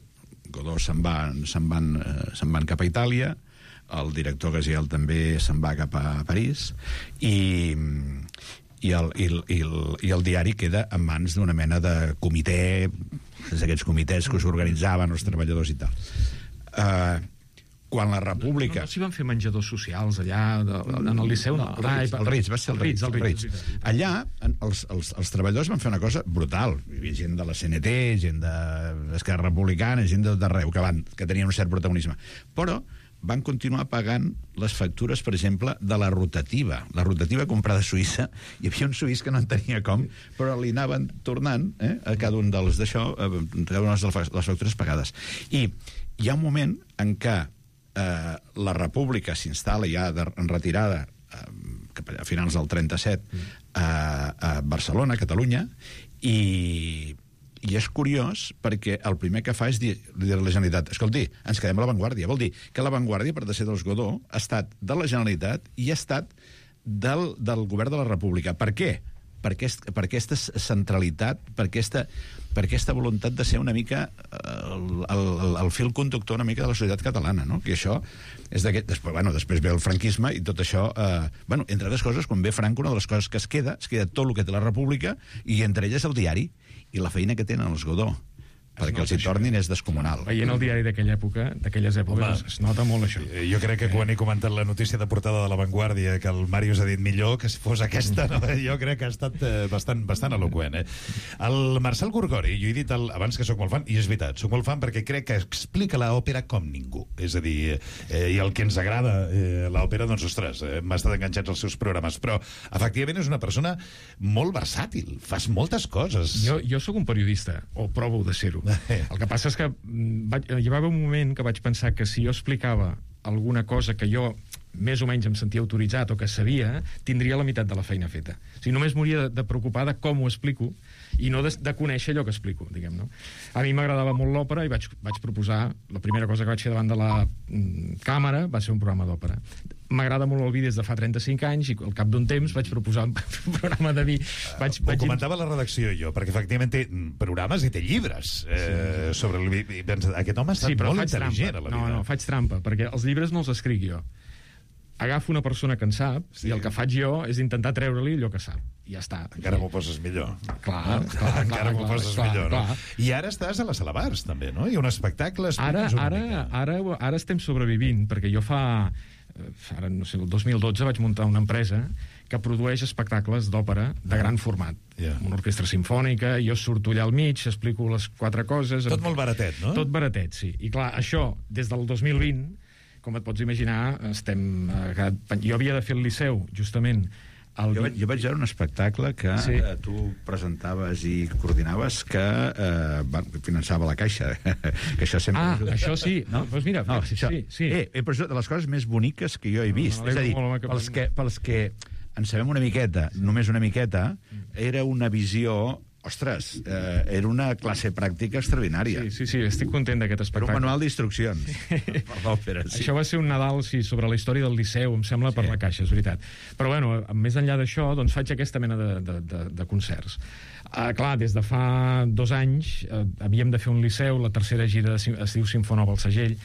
Godó se'n van, se'n van, eh, se'n van cap a Itàlia, el director Gaziel també se'n va cap a París, i, i, el, i, el, i, el, i el diari queda en mans d'una mena de comitè, d'aquests comitès que s'organitzaven els treballadors i tal. Eh, quan la República... No, no, no s'hi van fer menjadors socials allà, de, en el Liceu? No, el Ritz, el Ritz, va ser el Ritz. El Ritz. Allà, els, els, els treballadors van fer una cosa brutal. Hi havia gent de la C N T, gent d'Esquerra Republicana, gent de tot arreu, que, van, que tenien un cert protagonisme. Però van continuar pagant les factures, per exemple, de la rotativa. La rotativa comprada a Suïssa, hi havia un suís que no en tenia com, però li anaven tornant eh, a cada un dels d'això, a cada una de les factures pagades. I hi ha un moment en què eh, la República s'instal·la ja de, en retirada eh, a finals del trenta-set mm. a, a Barcelona, a Catalunya, i... I és curiós perquè el primer que fa és dir, dir a la Generalitat, escolti, ens quedem a l'avantguàrdia. Vol dir que l'avantguàrdia, per de ser dels Godó, ha estat de la Generalitat i ha estat del, del govern de la República. Per què? Per, aquest, per aquesta centralitat, per aquesta, per aquesta voluntat de ser una mica el, el, el fil conductor una mica de la societat catalana, no? Que això és d'aquest... Després, bueno, després ve el franquisme i tot això... Eh, bueno, entre altres coses, quan ve Franco, una de les coses que es queda, es queda tot el que té la República i entre elles el diari. I la feina que tenen els Godó perquè els hi tornin és descomunal. Veient el diari d'aquella època, d'aquelles èpoques, es nota molt això. Jo crec que quan he comentat la notícia de portada de La Vanguardia que el Màrius ha dit millor que si fos aquesta, no? Jo crec que ha estat eh, bastant, bastant eloqüent. Eh? El Marcel Gorgori, jo he dit el, abans que sóc molt fan, i és veritat, sóc molt fan perquè crec que explica l'òpera com ningú. És a dir, eh, i el que ens agrada eh, l'òpera, doncs, ostres, eh, m'ha estat enganxats als seus programes, però efectivament és una persona molt versàtil, fas moltes coses. Jo, jo sóc un periodista, o provo de ser-ho. El que passa és que vaig, hi va haver un moment que vaig pensar que si jo explicava alguna cosa que jo més o menys em sentia autoritzat o que sabia, tindria la meitat de la feina feta. O sigui, només m'hauria de, de preocupar de com ho explico i no de, de conèixer allò que explico, diguem, no? A mi m'agradava molt l'òpera i vaig, vaig proposar, la primera cosa que vaig fer davant de la mm, càmera va ser un programa d'òpera. M'agrada molt el vi des de fa trenta-cinc anys i al cap d'un temps vaig proposar un programa de vi. Vaig, Ho vaig... comentava la redacció jo, perquè efectivament té programes i té llibres eh, sí. sobre el vi. Aquest home ha estat sí, molt trampa. intel·ligent a la vida. No, no, faig trampa, perquè els llibres no els escric jo. Agafo una persona que en sap sí. i el que faig jo és intentar treure-li allò que sap. I ja està. Encara m'ho poses millor. Clar, clar, clar. Encara m'ho poses clar, millor, no? clar. I ara estàs a la Sala Bars, també, no? Hi ha un espectacle... Ara, ara, ara, ara estem sobrevivint, perquè jo fa... Ara, no sé, el dos mil dotze vaig muntar una empresa que produeix espectacles d'òpera de gran format. Yeah. Una orquestra simfònica, jo surto allà al mig, explico les quatre coses... Tot molt baratet, no? Tot baratet, sí. I clar, això, des del dos mil vint, com et pots imaginar, estem... Eh, jo havia de fer el Liceu, justament. El... Jo, vaig, jo vaig veure un espectacle que sí. eh, tu presentaves i coordinaves que eh, va, finançava la Caixa. Que això sempre... Ah, ajuda. això sí. No? Doncs mira, no, sí, això, sí. sí. Eh, eh, però això de les coses més boniques que jo he vist. No, no, és a dir, molt, molt, pels que, pels que en sabem una miqueta, només una miqueta, era una visió... Ostres, eh, era una classe pràctica extraordinària. Sí, sí, sí, estic content d'aquest espectacle. Era un manual d'instruccions sí. per l'òpera. Sí. Això va ser un Nadal, sí, sobre la història del Liceu, em sembla, sí. per la Caixa, és veritat. Però, bueno, més enllà d'això, doncs faig aquesta mena de, de, de, de concerts. Uh, clar, des de fa dos anys uh, havíem de fer un Liceu, la tercera gira de, es diu Simfonova al Segell,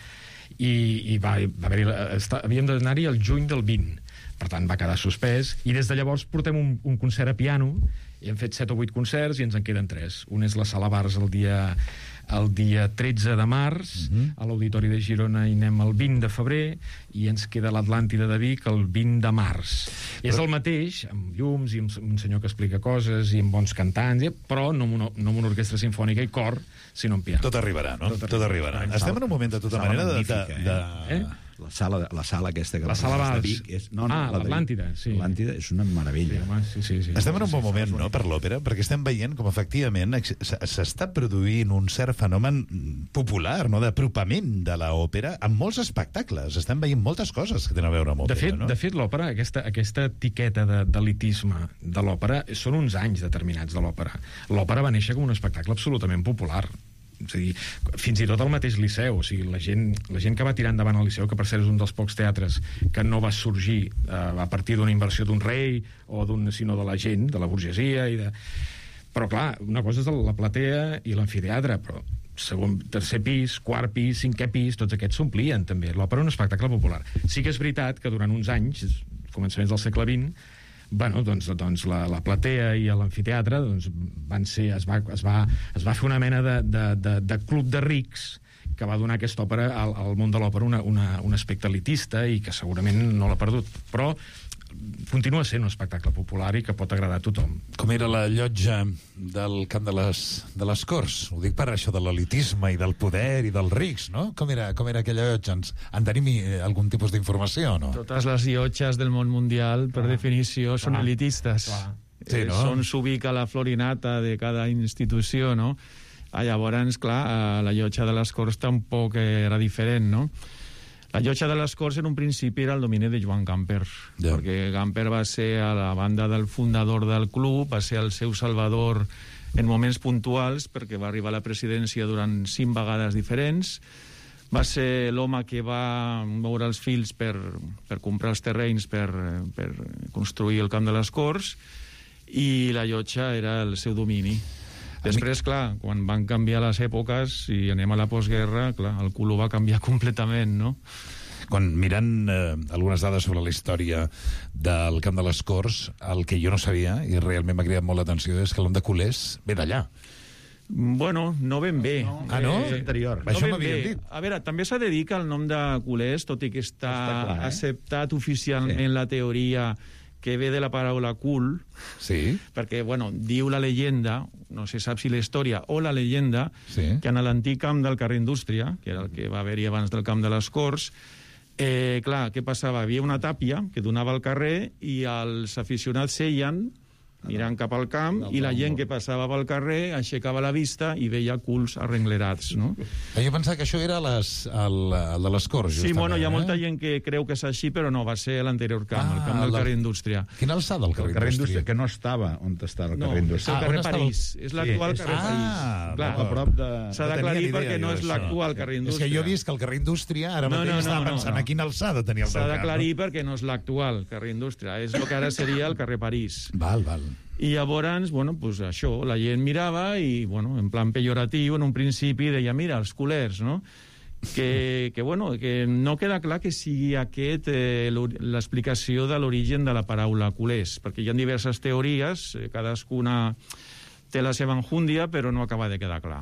i, i va, va haver-hi... Havíem d'anar-hi el juny del vint. Per tant, va quedar suspès, i des de llavors portem un, un concert a piano, i hem fet set o vuit concerts i ens en queden tres. Un és la Sala Bars el dia, el dia tretze de març, uh-huh. a l'Auditori de Girona hi anem el vint de febrer, i ens queda l'Atlàntida de Vic el vint de març. Però... És el mateix, amb llums i amb un senyor que explica coses i amb bons cantants, però no amb una, no amb una orquestra sinfònica i cor, sinó amb piano. Tot arribarà, no? Tot, Tot arribarà. arribarà. Estem en un moment, de tota manera, de... de, de... Eh? La sala, la sala aquesta que la sala Bars. De Vic és, no, no, ah, la l'Atlàntida, sí. L'Atlàntida és una meravella. Sí, home, sí, sí, sí. Estem en un bon moment, no?, per l'òpera, perquè estem veient com, efectivament, s'està produint un cert fenomen popular, no?, d'apropament de l'òpera amb molts espectacles. Estem veient moltes coses que tenen a veure amb òpera, de fet, no? De fet, l'òpera, aquesta, aquesta etiqueta d'elitisme de, de l'òpera, són uns anys determinats de l'òpera. L'òpera va néixer com un espectacle absolutament popular. És a dir, fins i tot el mateix Liceu, o sigui, la gent, la gent que va tirar endavant el Liceu, que per cert és un dels pocs teatres que no va sorgir eh, a partir d'una inversió d'un rei o d'un, sinó de la gent, de la burgesia i de... Però clar, una cosa és la platea i l'amfiteatre, però segon, tercer pis, quart pis, cinquè pis, tots aquests s'omplien també. L'òpera és un espectacle popular. Sí que és veritat que durant uns anys, començaments del segle vint, bueno, doncs, doncs la, la platea i l'amfiteatre doncs, van ser, es, va, es, va, es va fer una mena de, de, de, de club de rics que va donar aquesta òpera al, al món de l'òpera una, una, un aspecte elitista i que segurament no l'ha perdut, però continua sent un espectacle popular i que pot agradar a tothom. Com era la llotja del Camp de les, de les Corts? Ho dic per això de l'elitisme i del poder i dels rics, no? Com era, com era aquella llotja? Ens, en tenim algun tipus d'informació, no? Totes les llotges del món mundial, per ah, definició, són ah, elitistes. Ah. Sí, no? Eh, on s'ubica la florinata de cada institució, no? Ah, llavors, clar, la llotja de les Corts tampoc era diferent, no? La llotja de les Corts en un principi era el domini de Joan Gamper, yeah. perquè Gamper va ser a la banda del fundador del club, va ser el seu salvador en moments puntuals, perquè va arribar a la presidència durant cinc vegades diferents, va ser l'home que va moure els fils per, per comprar els terrenys per, per construir el Camp de les Corts, i la llotja era el seu domini. Després, clar, quan van canviar les èpoques i anem a la postguerra, clar, el culo va canviar completament, no? Quan mirant eh, algunes dades sobre la història del Camp de les Corts, el que jo no sabia, i realment m'ha cridat molt l'atenció, és que l'On de Colers ve d'allà. Bueno, no ben bé. No. Ah, no? És anterior. No Això ben m'havien bé. dit. A veure, també s'ha de dir que el nom de culers, tot i que està, Està clar, eh? acceptat oficialment Sí. la teoria que ve de la paraula cul, Sí. perquè, bueno, diu la llegenda, no se sap si la història o la llegenda, Sí. que en l'antic camp del carrer Indústria, que era el que va haver-hi abans del camp de les Corts, eh, clar, què passava? Hi havia una tàpia que donava al carrer i els aficionats seien mirant cap al camp, i la gent que passava pel carrer aixecava la vista i veia culs arrenglerats, no? Jo pensava que això era les, el, el de les Corts, Sí, justament. bueno, hi ha molta eh? gent que creu que és així, però no, va ser l'anterior camp, Ah, el camp del la- carrer Indústria. Quina alçada, el El carrer, carrer Indústria? Indústria, que no estava on està el No, carrer és Indústria. el Ah, carrer on estava el- París, és l'actual és- carrer Ah, París. Clar, a prop de... s'ha No tenia d'aclarir ni idea perquè no jo és d'això. l'actual carrer És Indústria. que jo he vist que el carrer Indústria, ara No, mateix no, estava no, no, pensant no. a quina alçada tenia el S'ha teu camp. d'aclarir perquè no és l'actual carrer Indústria, és el que ara seria el carrer París. Val, val. I llavors, bueno, pues això, la gent mirava i, bueno, en plan pejoratiu, en un principi deia, mira, els culers, no? Que, que, bueno, que no queda clar que sigui aquest eh, l'ori- l'explicació de l'origen de la paraula culers, perquè hi ha diverses teories, eh, cadascuna té la seva enjúndia, però no acaba de quedar clar.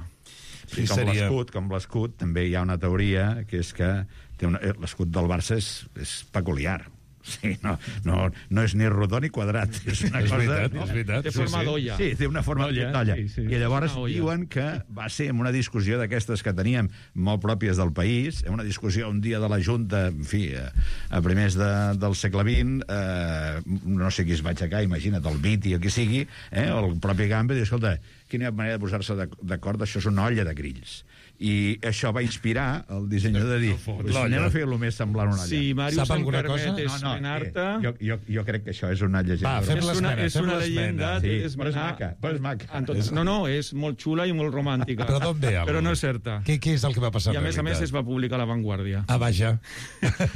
Sí, com seria- l'escut, com l'escut, també hi ha una teoria que és que té una- eh, l'escut del Barça és, és peculiar. Sí, no, no, no és ni rodó ni quadrat. És una És cosa... veritat, no? és veritat. Té sí, forma sí. d'olla. Sí, té una forma Olla, d'olla. sí, sí. I llavors Una olla. diuen que va ser en una discussió d'aquestes que teníem molt pròpies del país, en una discussió un dia de la Junta, en fi, a, a primers de, del segle vint, eh, no sé qui es va aixecar, imagina't, el Viti o qui sigui, eh, o el propi Gamba, i diu, escolta, quina manera de posar-se d'ac- d'acord, això és una olla de grills. I això va inspirar el dissenyador de dir, pues anem a fer-lo més semblant a una olla. Si Màrius Sap em alguna permet cosa? esmenar-te... eh, jo, jo, jo crec que això és una llegenda. Va, fem és una, l'esmena, és fem una l'esmena. llegenda Sí, és però és maca, però és maca. en tot, no, no, és molt xula i molt romàntica. Però d'on ve? El... Però no és certa. Què, què és el que va passar I a en més a més realitat? es va publicar a La Vanguardia. Ah, vaja.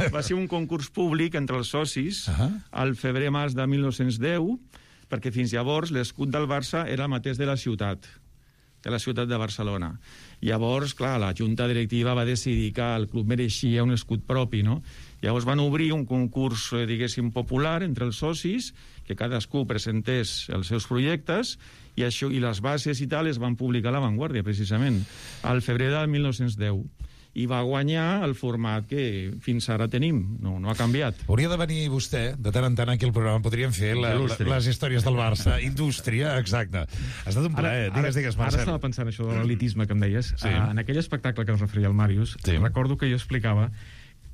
Va ser un concurs públic entre els socis Ahà. al febrer-març de mil nou-cents deu, perquè fins llavors l'escut del Barça era el mateix de la ciutat, de la ciutat de Barcelona. Llavors, clar, la junta directiva va decidir que el club mereixia un escut propi, no? Llavors van obrir un concurs, eh, diguéssim, popular entre els socis, que cadascú presentés els seus projectes, i això i les bases i tal es van publicar a La Vanguardia, precisament, al febrer del mil nou-cents deu. I va guanyar el format que fins ara tenim. No, no ha canviat. Hauria de venir vostè, de tant en tant aquí al programa, podríem fer la, la, Indústria. les històries del Barça. Indústria, exacte. Ha estat un plaer. Digues, digues, Ara Marcel. estava pensant això de l'elitisme que em deies. Sí. Uh, en aquell espectacle que es referia al Màrius, Sí. recordo que jo explicava.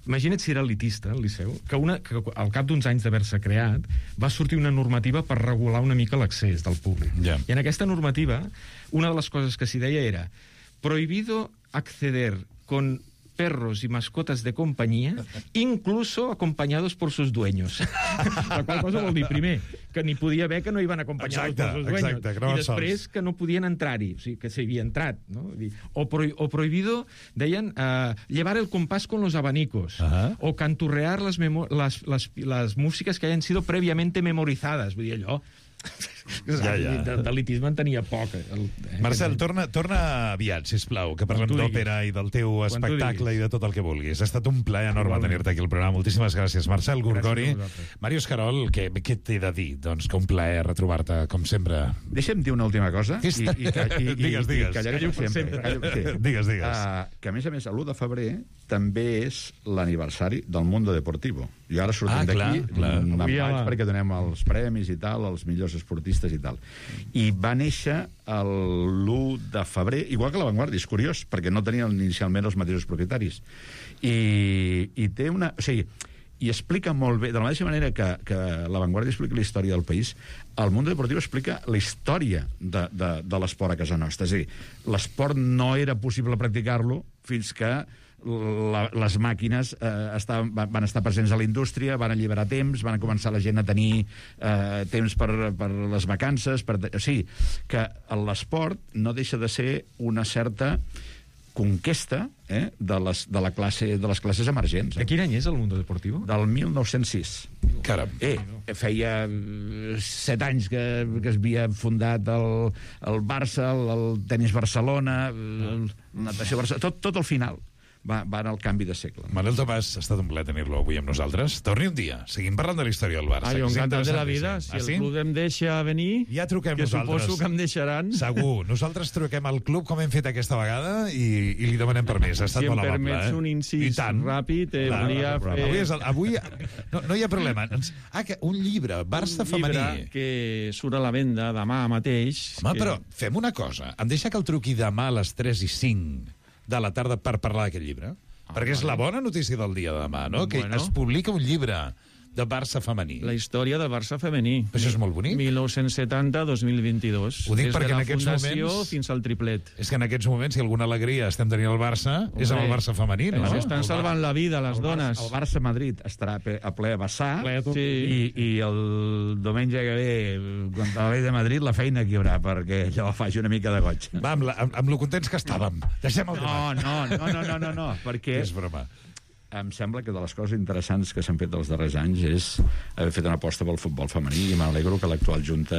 Imagina't si era elitista, el Liceu, que, una, que al cap d'uns anys d'haver-se creat va sortir una normativa per regular una mica l'accés del públic. Ja. I en aquesta normativa, una de les coses que s'hi deia era prohibido acceder con perros y mascotas de compañía, incluso acompañados por sus dueños. La qual cosa vol dir, primer, que n'hi podia haver que no iban acompañados Exacte, por sus dueños. exacte, que no I van després sols. que no podien entrar-hi, o sigui, que s'havia entrat. No? Vull dir, O, pro, o prohibido, deien, uh, llevar el compás con los abanicos, Ajá. o canturrear las, memo las, las, las músicas que hayan sido previamente memorizadas. Vull dir, allò... Ja, ja. De, d'elitisme en tenia poc. El, eh, Marcel, torna, torna aviat, sisplau, que parlem tu diguis. d'òpera i del teu Quan tu espectacle i diguis. de tot el que vulguis. Ha estat un plaer enorme Igualment. tenir-te aquí al programa. Moltíssimes gràcies, Marcel Gorgori. Gràcies a vosaltres. Màrius Carol, què, què t'he de dir? Doncs que un plaer retrobar-te, com sempre. Deixa'm dir una última cosa. Què està- I, i, i, i, Digues, digues. I callaré per sempre. Callo, sí. Digues, digues. Uh, que, a més a més, l'u de febrer també és l'aniversari del Mundo Deportivo. I ara sortim Ah, clar, d'aquí, clar. mm, me'n Avui a vaig la- perquè donem els premis i tal, als millors esportistes i tal. I va néixer l'u de febrer, igual que la Vanguardia, és curiós, perquè no tenien inicialment els mateixos propietaris. I, i té una... O sigui, i explica molt bé, de la mateixa manera que, que la Vanguardia explica la història del país, el Mundo Deportivo explica la història de, de, de l'esport a casa nostra. És a dir, l'esport no era possible practicar-lo fins que la, les màquines eh, estaven, van estar presents a la indústria, van alliberar temps, van començar la gent a tenir eh, temps per, per les vacances. Per, o sigui, que l'esport no deixa de ser una certa conquesta eh, de, les, de, la classe, de les classes emergents. De Eh? quin any és el Mundo Deportivo? Del mil nou-cents sis. Caram. Eh, feia eh, set anys que, que es havia fundat el, el Barça, el, el tenis Barcelona, el, el natació Barcelona, tot, tot al final. va, va en el canvi de segle. Manel Tomàs, ha estat un plaer tenir-lo avui amb nosaltres. Torni un dia, seguim parlant de la història del Barça. Ah, jo que és encantat de la vida. interessantíssim. Si Ah, el sí? club em deixa venir, Ja truquem que nosaltres. suposo que em deixaran. Segur. Nosaltres truquem al club com hem fet aquesta vegada i, i li demanem permís. Ha estat Si em molt amable. permets eh? un incís I tant. ràpid, eh, Clar, volia clar, fer- Avui, és el, avui no, no hi ha problema. Ens- Ah, que un llibre, Barça Un llibre femení. que surt a la venda demà mateix. Home, que... però fem una cosa. Em deixa que el truqui demà a les tres i cinc de la tarda per parlar d'aquest llibre? Ah, Perquè és la bona notícia del dia de demà, no? Que Bueno. es publica un llibre de Barça femení. La història del Barça femení. Això és molt bonic. mil nou-cents setanta a dos mil vint-i-dos. Ho dic Des perquè de en la aquests fundació moments- fins al triplet. És que en aquests moments, si alguna alegria estem tenint al Barça, és amb el Barça femení, no? Ens estan salvant la vida, les El dones. Barça, el Barça-Madrid estarà pe- a ple a vessar Ple a tot. Sí. i, i el diumenge que ve contra el Rei de Madrid la feina que hi haurà perquè allò faci una mica de goig. Va, amb, la, amb, amb lo contents que estàvem. Deixem el No, debat. no, no, no, no, no, no perquè És broma. em sembla que de les coses interessants que s'han fet dels darrers anys és haver fet una aposta pel futbol femení i m'alegro que l'actual Junta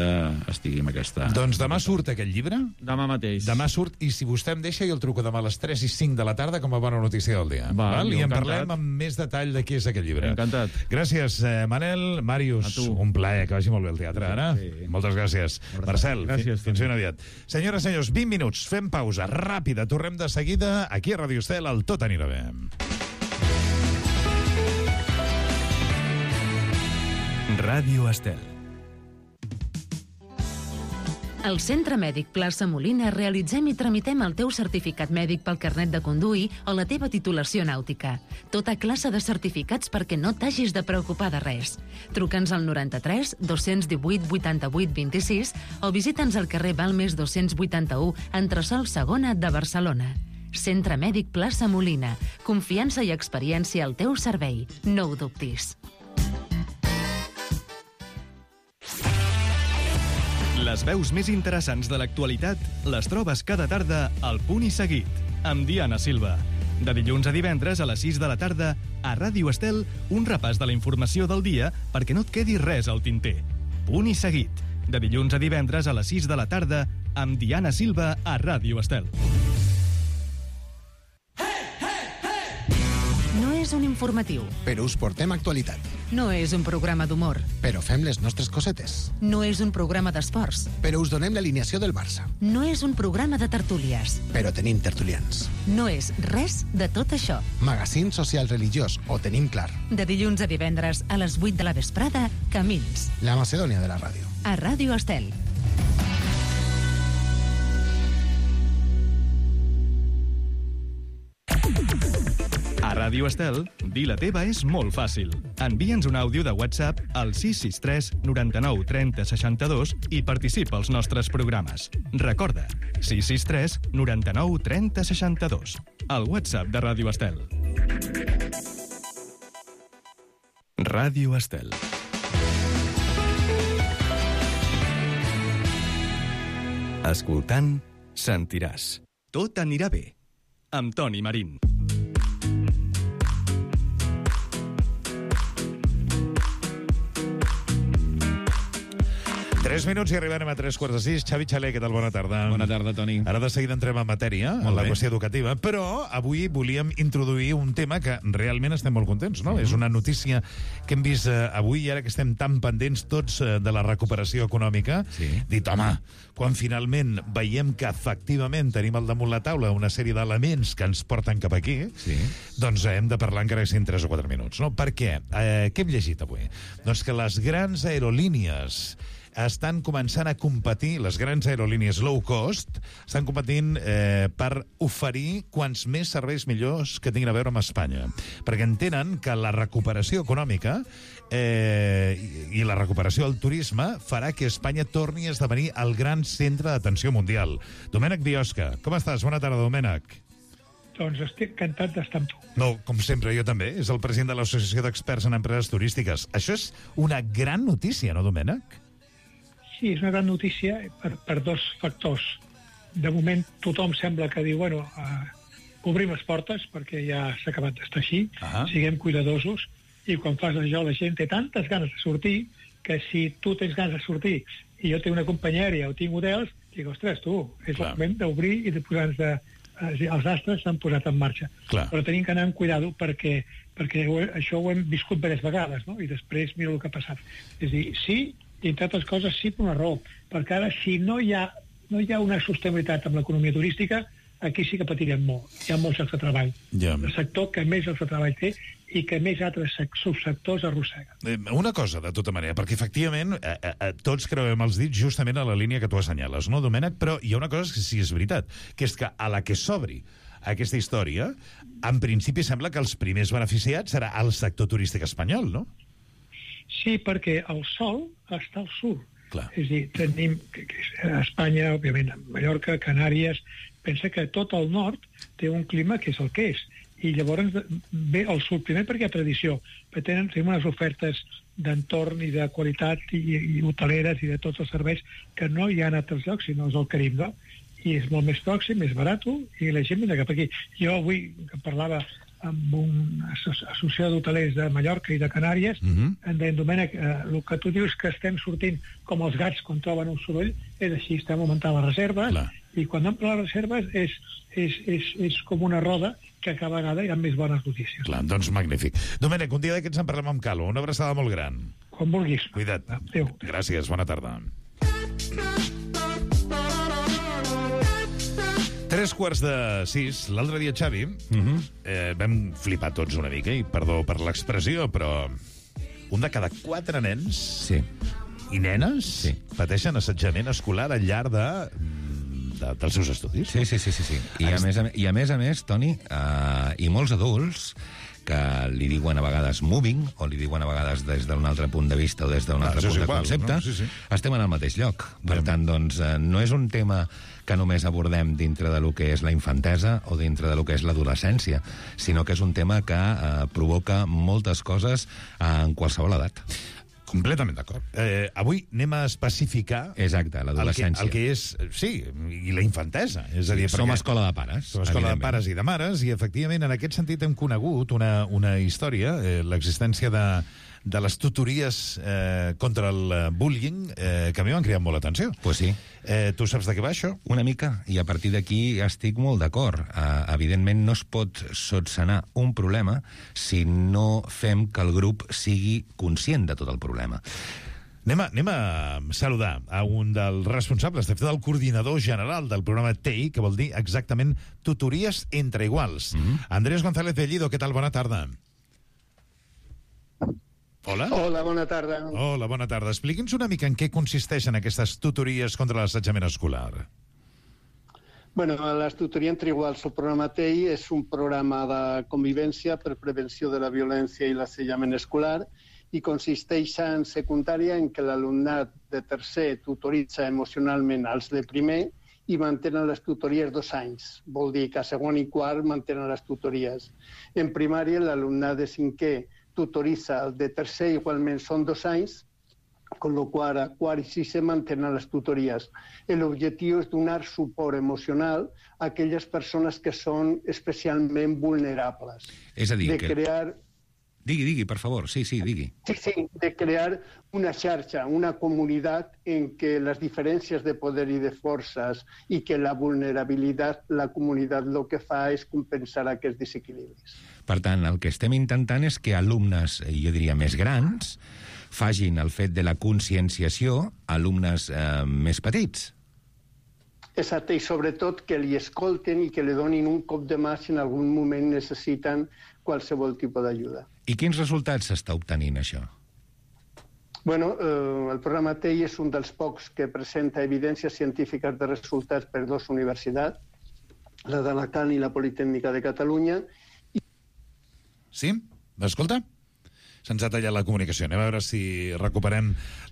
estigui amb aquesta... Doncs demà surt aquest llibre. Demà mateix. Demà surt, i si vostè em deixa, jo el truco demà a les tres i cinc de la tarda com a bona notícia del dia. Va, Val? I jo en encantat. parlem amb més detall de què és aquest llibre. Encantat. Gràcies, eh, Manel. Màrius, A tu. un plaer, que vagi molt bé el teatre, ara. Sí. Moltes gràcies. Marcel, Gràcies, fi- fins ben aviat. Senyores i senyors, vint minuts, fem pausa ràpida, tornem de seguida aquí a Radio Estel, el Tot anirà bé. Ràdio Estel. Al Centre Mèdic Plaça Molina realitzem i tramitem el teu certificat mèdic pel carnet de conduir o la teva titulació nàutica. Tota classe de certificats perquè no t'hagis de preocupar de res. Truca'ns al noranta-tres dos divuit vuitanta-vuit vint-i-sis o visita'ns al carrer Balmes dos-cents vuitanta-u, entresòl segona de Barcelona. Centre Mèdic Plaça Molina. Confiança i experiència al teu servei. No ho dubtis. Les veus més interessants de l'actualitat les trobes cada tarda al Punt i Seguit, amb Diana Silva. De dilluns a divendres a les sis de la tarda, a Ràdio Estel, un repàs de la informació del dia perquè no et quedi res al tinter. Punt i Seguit. De dilluns a divendres a les sis de la tarda, amb Diana Silva a Ràdio Estel. No és un informatiu. Però us portem actualitat. No és un programa d'humor. Però fem les nostres cosetes. No és un programa d'esports. Però us donem l'alineació del Barça. No és un programa de tertúlies. Però tenim tertulians. No és res de tot això. Magazín social religiós, ho tenim clar. De dilluns a divendres a les vuit de la vesprada, Camins. La Macedònia de la ràdio. A Ràdio Estel. A Ràdio Estel, dir la teva és molt fàcil. Envia'ns un àudio de WhatsApp al sis sis tres noranta-nou trenta seixanta-dos i participa als nostres programes. Recorda, sis sis tres noranta-nou trenta seixanta-dos. El WhatsApp de Ràdio Estel. Ràdio Estel. Escoltant, sentiràs. Tot anirà bé. Amb Toni Marín. Tres minuts i arribarem a tres quarts de sis. Xavi Xaler, què tal? Bona tarda. Bona tarda, Toni. Ara de seguida entrem en matèria, en la bé. qüestió educativa, però avui volíem introduir un tema que realment estem molt contents, no? Mm-hmm. És una notícia que hem vist eh, avui, i ara que estem tan pendents tots eh, de la recuperació econòmica, Sí. dit, home, quan finalment veiem que efectivament tenim al damunt la taula una sèrie d'elements que ens porten cap aquí, Sí. doncs hem de parlar encara que siguin tres o quatre minuts, no? Per què? Eh, què hem llegit avui? Doncs que les grans aerolínies estan començant a competir, les grans aerolínies low cost, estan competint eh, per oferir quants més serveis millors que tinguin a veure amb Espanya. Perquè entenen que la recuperació econòmica eh, i, i la recuperació del turisme farà que Espanya torni a esdevenir el gran centre d'atenció mundial. Domènec Biosca, com estàs? Bona tarda, Domènec. Doncs estic encantat d'estar amb tu. No, com sempre, jo també. És el president de l'Associació d'Experts en Empreses Turístiques. Això és una gran notícia, no, Domènec? Sí, és una gran notícia per, per dos factors. De moment tothom sembla que diu, bueno, uh, obrim les portes perquè ja s'ha acabat d'estar així, Ah. siguem cuidadosos, i quan fas això la gent té tantes ganes de sortir que si tu tens ganes de sortir i jo tinc una companyia aèria o tinc hotels, dic, ostres, tu, és Clar. el moment d'obrir i de posar-nos a, és a dir, els astres s'han posat en marxa. Clar. Però tenim que anar amb cuidado perquè, perquè ho, això ho hem viscut diverses vegades, no? I després mira el que ha passat. És a dir, sí, i entre altres coses sí per una raó, perquè ara si no hi ha, no hi ha una sostenibilitat amb l'economia turística, aquí sí que patirem molt. Hi ha molts llocs de treball. Ja. El sector que més llocs de treball té i que més altres subsectors arrossega. Eh, Una cosa, de tota manera, perquè efectivament eh, eh, tots creuem els dits justament a la línia que tu assenyales, no, Domènec? Però hi ha una cosa que sí és veritat, que és que a la que s'obri aquesta història, en principi sembla que els primers beneficiats serà el sector turístic espanyol, no? Sí, perquè el sol està al sud. Clar. És a dir, tenim que, que a Espanya, òbviament, a Mallorca, Canàries, pensa que tot el nord té un clima que és el que és. I llavors ve al sud, primer perquè hi ha tradició, però tenen, tenim unes ofertes d'entorn i de qualitat i, i hoteleres i de tots els serveis que no hi ha en altres llocs, sinó és el Carib, no? I és molt més pròxim, més barat, i la gent vindrà cap aquí. Jo avui, que parlava amb una associació d'hotelers de Mallorca i de Canàries, Mhm. em deien, Domènec, eh, el que tu dius que estem sortint com els gats quan troben un soroll, és així, estem augmentant les reserves, Clar. i quan amplen les reserves és, és, és, és com una roda que cada vegada hi ha més bones notícies. Clar, doncs magnífic. Domènec, un dia d'aquests en parlem amb calma. Una abraçada molt gran. Com vulguis. Cuida't. Adéu. Gràcies, bona tarda. Tres quarts de sis. L'altre dia, Xavi, eh, vam flipar tots una mica, i perdó per l'expressió, però un de cada quatre nens Sí. i nenes Sí. pateixen assetjament escolar al llarg de, de, dels seus estudis. Sí, sí, sí, sí, sí. I, a més, a, I a més a més, Toni, uh, i molts adults que li diuen a vegades moving, o li diuen a vegades des d'un altre punt de vista o des d'un Ah, altre això és punt igual, de concepte, no? Sí, sí. estem en el mateix lloc. Per Ja. tant, doncs, eh, no és un tema que només abordem dintre de lo que és la infantesa o dintre de lo que és l'adolescència, sinó que és un tema que eh, provoca moltes coses eh, en qualsevol edat. Completament d'acord. Eh, avui anem a especificar Exacte, el que, l'adolescència. el que és, sí, i la infantesa. És a dir, Som perquè escola de pares. som escola de evidentment. pares i de mares, i efectivament en aquest sentit hem conegut una, una història, eh, l'existència de, de les tutories eh, contra el eh, bullying, eh, que a mi m'han cridat molt l'atenció. Pues sí. Eh, tu saps de què va això? Una mica, i a partir d'aquí estic molt d'acord. Uh, evidentment no es pot sotsenar un problema si no fem que el grup sigui conscient de tot el problema. Anem a, anem a saludar a un dels responsables, de fet, del coordinador general del programa T E I, que vol dir exactament tutories entre iguals. Mm-hmm. Andrés González Bellido, què tal? Bona tarda. Hola. Hola, bona tarda. Hola, bona tarda. Expliqui'ns una mica en què consisteixen aquestes tutories contra l'assetjament escolar. Bueno, les tutories entre iguals, el programa T E I és un programa de convivència per prevenció de la violència i l'assetjament escolar i consisteix en secundària en què l'alumnat de tercer tutoritza emocionalment als de primer i mantenen les tutories dos anys. Vol dir que a segon i quart mantenen les tutories. En primària, l'alumnat de cinquè tutoritza el de tercer, igualment són dos anys, con lo qual a quart i sisè mantenen les tutories. L'objectiu és donar suport emocional a aquelles persones que són especialment vulnerables. És a dir, de que... crear... Digui, digui, per favor. Sí, sí, digui. Sí, sí, de crear una xarxa, una comunitat en què les diferències de poder i de forces i que la vulnerabilitat, la comunitat el que fa és compensar aquests desequilibris. Per tant, el que estem intentant és que alumnes, jo diria, més grans, fagin el fet de la conscienciació a alumnes eh, més petits. Exacte, i sobretot que li escolten i que li donin un cop de mà si en algun moment necessiten qualsevol tipus d'ajuda. I quins resultats s'està obtenint, això? Bueno, eh, el programa T E I és un dels pocs que presenta evidències científiques de resultats per dues universitats, la d'Alacant i la Politècnica de Catalunya. Sí? M'escolta? Se'ns ha tallat la comunicació. Anem a veure si recuperem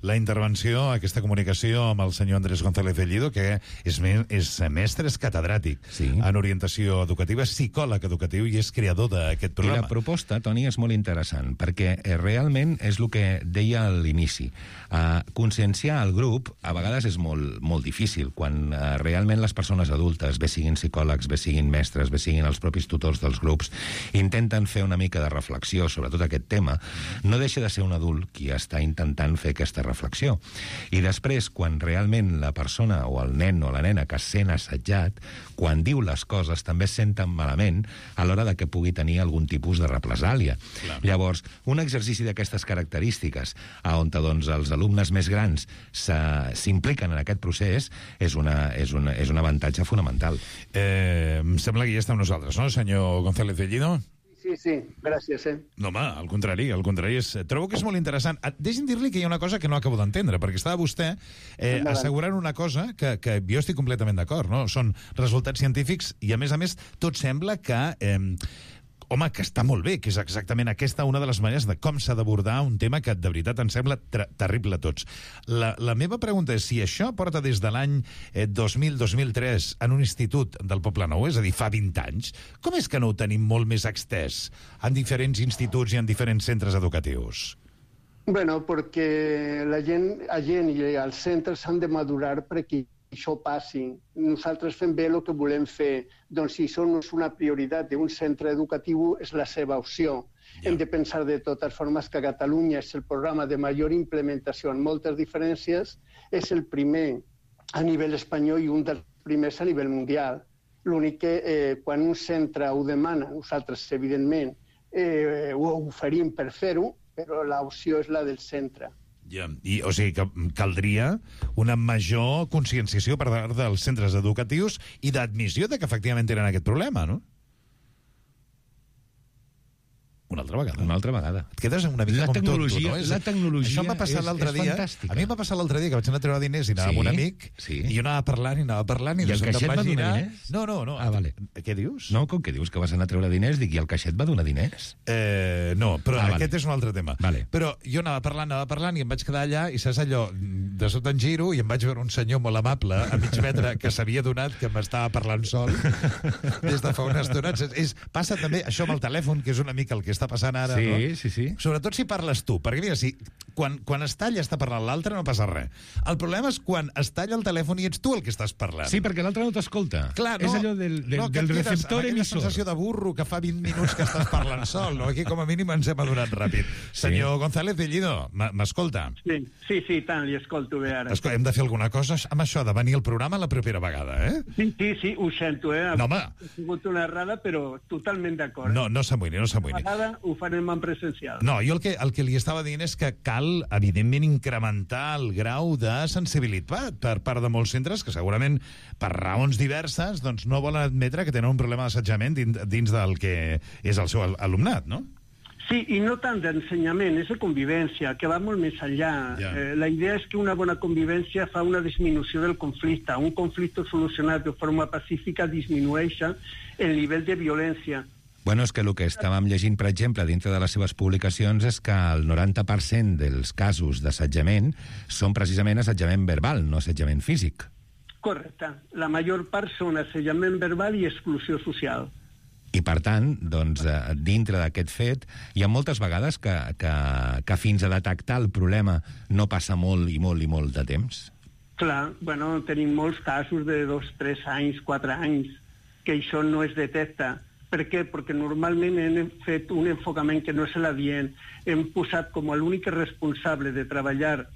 la intervenció, aquesta comunicació amb el senyor Andrés González Bellido, que és, me és mestre, és catedràtic sí. en orientació educativa, és psicòleg educatiu i és creador d'aquest programa. I la proposta, Toni, és molt interessant, perquè eh, realment és el que deia a l'inici. Uh, conscienciar el grup a vegades és molt, molt difícil, quan uh, realment les persones adultes, bé siguin psicòlegs, bé siguin mestres, bé siguin els propis tutors dels grups, intenten fer una mica de reflexió sobre tot aquest tema. no deixa de ser un adult qui està intentant fer aquesta reflexió. I després, quan realment la persona o el nen o la nena que es sent assetjat, quan diu les coses també es senten malament a l'hora de que pugui tenir algun tipus de represàlia. Clar. Llavors, un exercici d'aquestes característiques on doncs, els alumnes més grans s'impliquen en aquest procés és, una, és, una, és un avantatge fonamental. Eh, em sembla que ja està amb nosaltres, no, senyor González Bellido? Sí, sí, gràcies, eh? No, home, al contrari, al contrari. És, trobo que és molt interessant. Deixi'm dir-li que hi ha una cosa que no acabo d'entendre, perquè estava vostè eh, assegurant una cosa que, que jo estic completament d'acord, no? Són resultats científics i, a més a més, tot sembla que... Eh, home, que està molt bé, que és exactament aquesta una de les maneres de com s'ha d'abordar un tema que de veritat ens sembla terrible a tots. La, la meva pregunta és si això porta des de l'any eh, dos mil dos mil tres en un institut del Poblenou, és a dir, fa vint anys, com és que no ho tenim molt més extès en diferents instituts i en diferents centres educatius? Bueno, perquè la gent, la gent i els centres s'han de madurar perquè això passi. Nosaltres fem bé el que volem fer. Doncs si això no és una prioritat d'un centre educatiu, és la seva opció. Ja. Hem de pensar de totes formes que Catalunya és el programa de major implementació en moltes diferències, és el primer a nivell espanyol i un dels primers a nivell mundial. L'únic que eh, quan un centre ho demana, nosaltres, evidentment, eh, ho oferim per fer-ho, però l'opció és la del centre. Ja, i, o sigui que caldria una major conscienciació per part dels centres educatius i d'admissió de que efectivament tenen aquest problema, no? Una altra vegada. Una altra vegada. Et quedes una mica la com tecnologia, tot, tu, no? És, la tecnologia això em va passar l'altre dia. Fantàstica. A mi em va passar l'altre dia que vaig anar a treure diners i anava sí? amb un amic sí. i jo anava parlant i anava parlant i, I el caixet va girar... donar diners? No, no, no. Ah, vale. Què dius? No, com que dius que vas anar a treure diners, dic, i el caixet va donar diners? Eh, no, però ah, aquest vale. és un altre tema. Vale. Però jo anava parlant, anava parlant i em vaig quedar allà i saps allò, de sota en giro i em vaig veure un senyor molt amable a mig metre que s'havia donat que m'estava parlant sol des de fa una estona. És, és, passa també això amb el telèfon, que és una mica el que està passant ara, sí, no? Sí, sí, Sobretot si parles tu, perquè mira, si quan, quan es talla està parlant l'altre no passa res. El problema és quan es talla el telèfon i ets tu el que estàs parlant. Sí, perquè l'altre no t'escolta. Clar, no, és allò del, del, no, del receptor emissor. Aquella sensació de burro que fa vint minuts que estàs parlant sol, no? Aquí com a mínim ens hem adonat ràpid. Sí. Senyor González Bellido, m'escolta? Sí, sí, sí, tant, li escolto bé ara. Escolta, hem de fer alguna cosa amb això de venir al programa la propera vegada, eh? Sí, sí, sí, ho sento, eh? No, home. Ha sigut una errada, però totalment d'acord. No, no s'amoïni, no s'amoïni. La vegada ho farem en presencial. No, jo el que, el que li estava dient és que cal, evidentment, incrementar el grau de sensibilitat per part de molts centres que segurament, per raons diverses, doncs no volen admetre que tenen un problema d'assetjament dins, dins del que és el seu alumnat, no? Sí, i no tant d'ensenyament, és de convivència, que va molt més enllà. Ja. Eh, la idea és que una bona convivència fa una disminució del conflicte. Un conflicte solucionat de forma pacífica disminueix el nivell de violència. Bueno, és que el que estàvem llegint, per exemple, dintre de les seves publicacions és que el noranta per cent dels casos d'assetjament són precisament assetjament verbal, no assetjament físic. Correcte. La major part són assetjament verbal i exclusió social. I, per tant, doncs, dintre d'aquest fet, hi ha moltes vegades que, que, que fins a detectar el problema no passa molt i molt i molt de temps. Clar, bueno, tenim molts casos de dos, tres anys, quatre anys, que això no es detecta. Per què? Perquè normalment hem fet un enfocament que no és l'adient. Hem posat com a l'únic responsable de treballar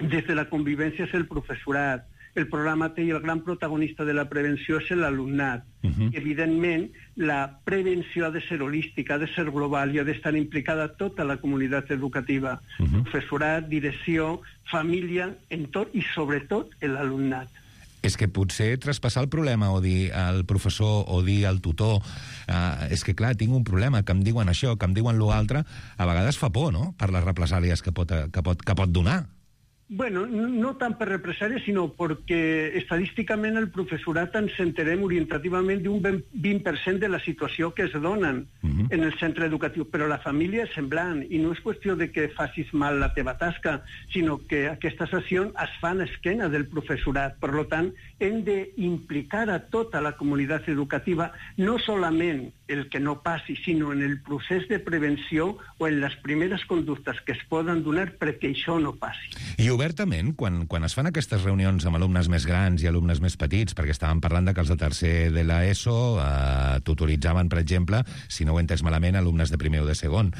des de la convivència és el professorat. El programa té i el gran protagonista de la prevenció és l'alumnat. Uh-huh. Evidentment, la prevenció ha de ser holística, ha de ser global i ha d'estar implicada tota la comunitat educativa. Uh-huh. Professorat, direcció, família, en tot i sobretot l'alumnat. És que potser traspassar el problema o dir al professor o dir al tutor eh, és que, clar, tinc un problema, que em diuen això, que em diuen l'altre, a vegades fa por, no?, per les represàlies que pot, que pot, que pot donar. Bueno, no tant per represàlies, sinó perquè estadísticament el professorat ens enterem orientativament d'un vint per cent de la situació que es donen uh-huh. en el centre educatiu, però la família és semblant, i no és qüestió de que facis mal la teva tasca, sinó que aquestes accions es fan a esquena del professorat. Per tant, hem d'implicar a tota la comunitat educativa, no solament el que no passi, sinó en el procés de prevenció o en les primeres conductes que es poden donar perquè això no passi. I obertament, quan, quan es fan aquestes reunions amb alumnes més grans i alumnes més petits, perquè estàvem parlant de que els de tercer de l'ESO eh, tutoritzaven, per exemple, si no ho he entès malament, alumnes de primer o de segon.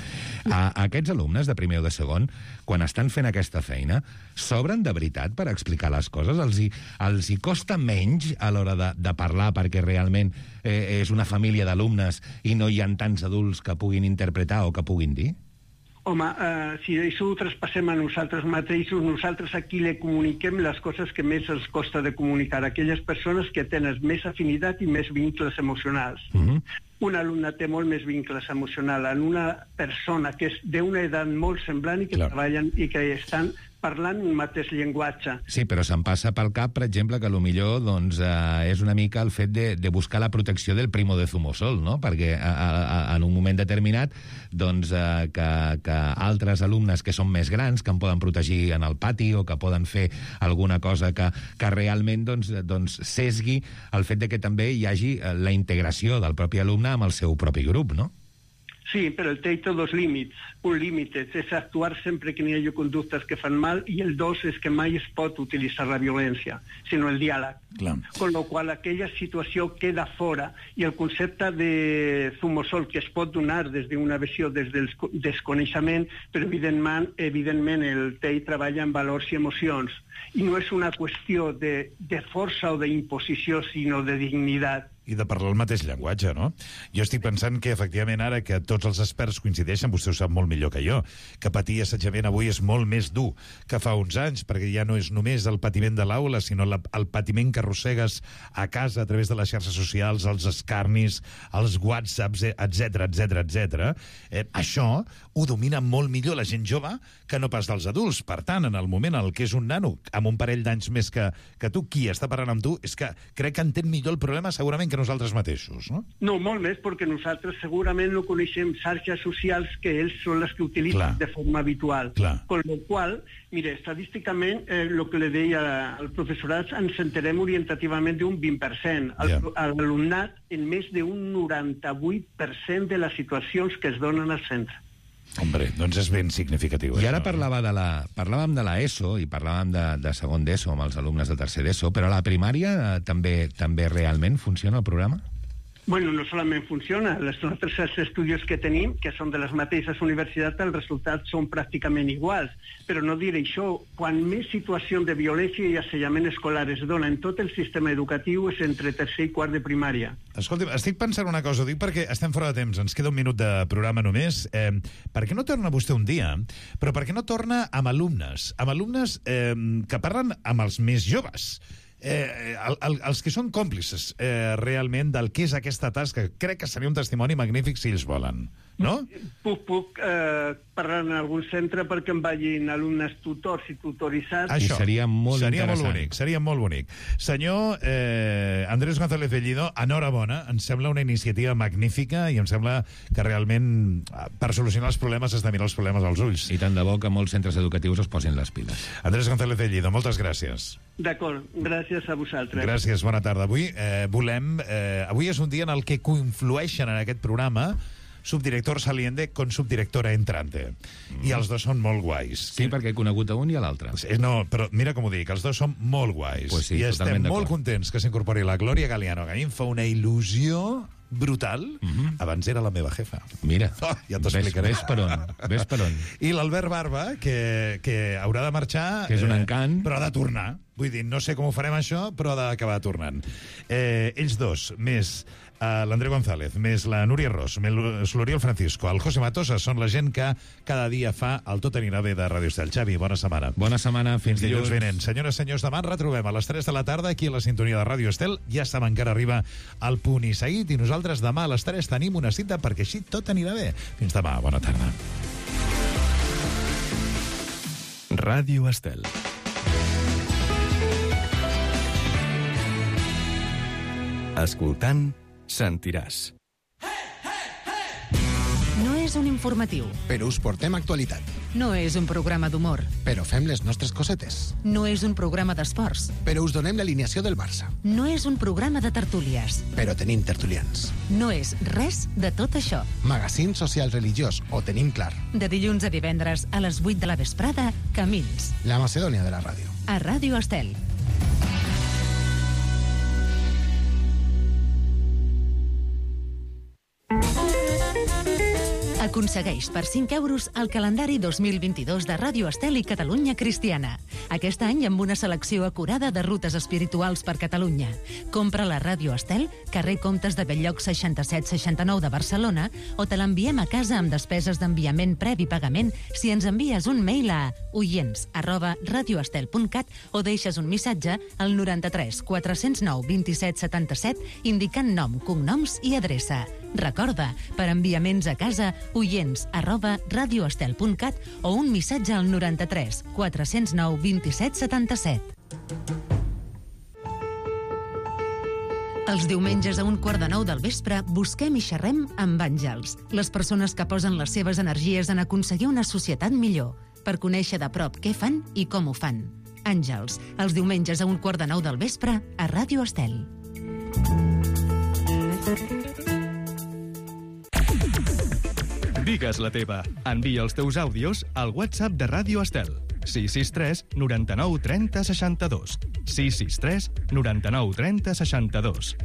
A, a aquests alumnes de primer o de segon, quan estan fent aquesta feina, s'obren de veritat per explicar les coses? Els hi, els hi costa menys a l'hora de, de parlar perquè realment eh, és una família d'alumnes i no hi ha tants adults que puguin interpretar o que puguin dir? Home, eh, si això ho traspassem a nosaltres mateixos, nosaltres aquí li comuniquem les coses que més els costa de comunicar a aquelles persones que tenen més afinitat i més vincles emocionals. Uh-huh. Un alumne té molt més vincles emocionals en una persona que és d'una edat molt semblant i que Clar. treballen i que estan parlant un mateix llenguatge. Sí, però se'm passa pel cap, per exemple, que potser doncs, eh, és una mica el fet de, de buscar la protecció del primo de Zumosol, no? Perquè a, a, en un moment determinat doncs, eh, que, que altres alumnes que són més grans, que em poden protegir en el pati o que poden fer alguna cosa que, que realment doncs, doncs, sesgui el fet de que també hi hagi la integració del propi alumne amb el seu propi grup, no? Sí, però el té dos límits. Un límit és actuar sempre que n'hi hagi conductes que fan mal i el dos és que mai es pot utilitzar la violència, sinó el diàleg. Clar. Con lo qual aquella situació queda fora i el concepte de Zumosol que es pot donar des d'una visió des del desconeixement, però evidentment, evidentment el T E I treballa en valors i emocions i no és una qüestió de, de força o d'imposició, sinó de dignitat. I de parlar el mateix llenguatge, no? Jo estic pensant que, efectivament, ara que tots els experts coincideixen, vostè ho sap molt millor que jo, que patir assetjament avui és molt més dur que fa uns anys, perquè ja no és només el patiment de l'aula, sinó la, el patiment que arrossegues a casa a través de les xarxes socials, els escarnis, els whatsapps, etcètera, etcètera, etcètera. Eh, això ho domina molt millor la gent jove que no pas dels adults. Per tant, en el moment en què és un nano amb un parell d'anys més que, que tu, qui està parlant amb tu, és que crec que entén millor el problema segurament que nosaltres mateixos, no? No, molt més, perquè nosaltres segurament no coneixem xarxes socials que ells són les que utilitzen Clar. de forma habitual. Clar. Con lo qual, mire, estadísticament, eh, el que le deia al professorat, ens enterem orientativament d'un vint per cent. Yeah. L'alumnat en més d'un noranta-vuit per cent de les situacions que es donen al centre. Hombre, doncs és ben significatiu. I ara parlava de la, parlàvem de l'ESO i parlàvem de, de segon d'ESO amb els alumnes de tercer d'ESO, però a la primària eh, també també realment funciona el programa? Bueno, no solament funciona. Els nostres estudis que tenim, que són de les mateixes universitats, els resultats són pràcticament iguals. Però no diré això, quan més situacions de violència i assetjament escolar es dona en tot el sistema educatiu és entre tercer i quart de primària. Escolti, estic pensant una cosa, ho dic perquè estem fora de temps, ens queda un minut de programa només. Eh, per què no torna vostè un dia, però per què no torna amb alumnes, amb alumnes eh, que parlen amb els més joves? Eh, el, el, els que són còmplices eh, realment del que és aquesta tasca. Crec que seria un testimoni magnífic si ells volen, no? Puc, puc eh, parlar en algun centre perquè em vagin alumnes tutors i tutoritzats. Això, I seria molt seria interessant. Molt bonic, seria molt bonic. Senyor eh, Andrés González Bellido, enhorabona, em sembla una iniciativa magnífica i em sembla que realment per solucionar els problemes has de mirar els problemes als ulls. I tant de bo que molts centres educatius es posin les piles. Andrés González Bellido, moltes gràcies. D'acord, gràcies a vosaltres. Gràcies, bona tarda. Avui eh, volem... Eh, avui és un dia en el que conflueixen en aquest programa subdirector saliente con subdirectora entrante. Mm. I els dos són molt guais. Sí, perquè he conegut a un i a l'altre. No, però mira com ho dic, els dos són molt guais. Pues sí, I estem molt contents que s'incorpori la Glòria Galiano, que a mi em fa una il·lusió brutal. Mm-hmm. Abans era la meva jefa. Mira, oh, ja t'ho explicaré. Ves per on, ves per on. I l'Albert Barba, que, que haurà de marxar... Que és un encant. Eh, però ha de tornar. Vull dir, no sé com ho farem això, però ha d'acabar tornant. Eh, ells dos, més eh, l'André González, més la Núria Ros, més l'Oriol Francisco, el José Matosa, són la gent que cada dia fa el Tot anirà bé de Ràdio Estel. Xavi, bona setmana. Bona setmana, fins dilluns. Dilluns vinent. Senyores, senyors, demà ens retrobem a les tres de la tarda aquí a la sintonia de Ràdio Estel. Ja saben que ara arriba el Punt i Seguit i nosaltres demà a les tres tenim una cita perquè així tot anirà bé. Fins demà, bona tarda. Ràdio Estel. Escoltant, sentiràs. No és un informatiu. Però us portem actualitat. No és un programa d'humor. Però fem les nostres cosetes. No és un programa d'esports. Però us donem l'alineació del Barça. No és un programa de tertúlies. Però tenim tertulians. No és res de tot això. Magazín social religiós, ho tenim clar. De dilluns a divendres a les vuit de la vesprada, Camins. La Macedònia de la ràdio. A Ràdio Estel. Aconsegueix per cinc euros el calendari dos mil vint-i-dos de Ràdio Estel i Catalunya Cristiana. Aquest any amb una selecció acurada de rutes espirituals per Catalunya. Compra la Ràdio Estel, carrer Comtes de Belllloc seixanta-set seixanta-nou de Barcelona, o te l'enviem a casa amb despeses d'enviament previ pagament si ens envies un mail a oients arroba radioestel punt cat o deixes un missatge al noranta-tres quatre-cents nou vint-i-set setanta-set indicant nom, cognoms i adreça. Recorda, per enviaments a casa, oients arroba radioestel punt cat o un missatge al noranta-tres quatre-cents nou vint-i-set setanta-set. Els diumenges a un quart de nou del vespre busquem i xerrem amb àngels, les persones que posen les seves energies en aconseguir una societat millor, per conèixer de prop què fan i com ho fan. Àngels, els diumenges a un quart de nou del vespre a Ràdio Estel. Digues la teva. Envia els teus àudios al WhatsApp de Ràdio Estel. sis sis tres noranta-nou trenta seixanta-dos. sis sis tres noranta-nou trenta seixanta-dos.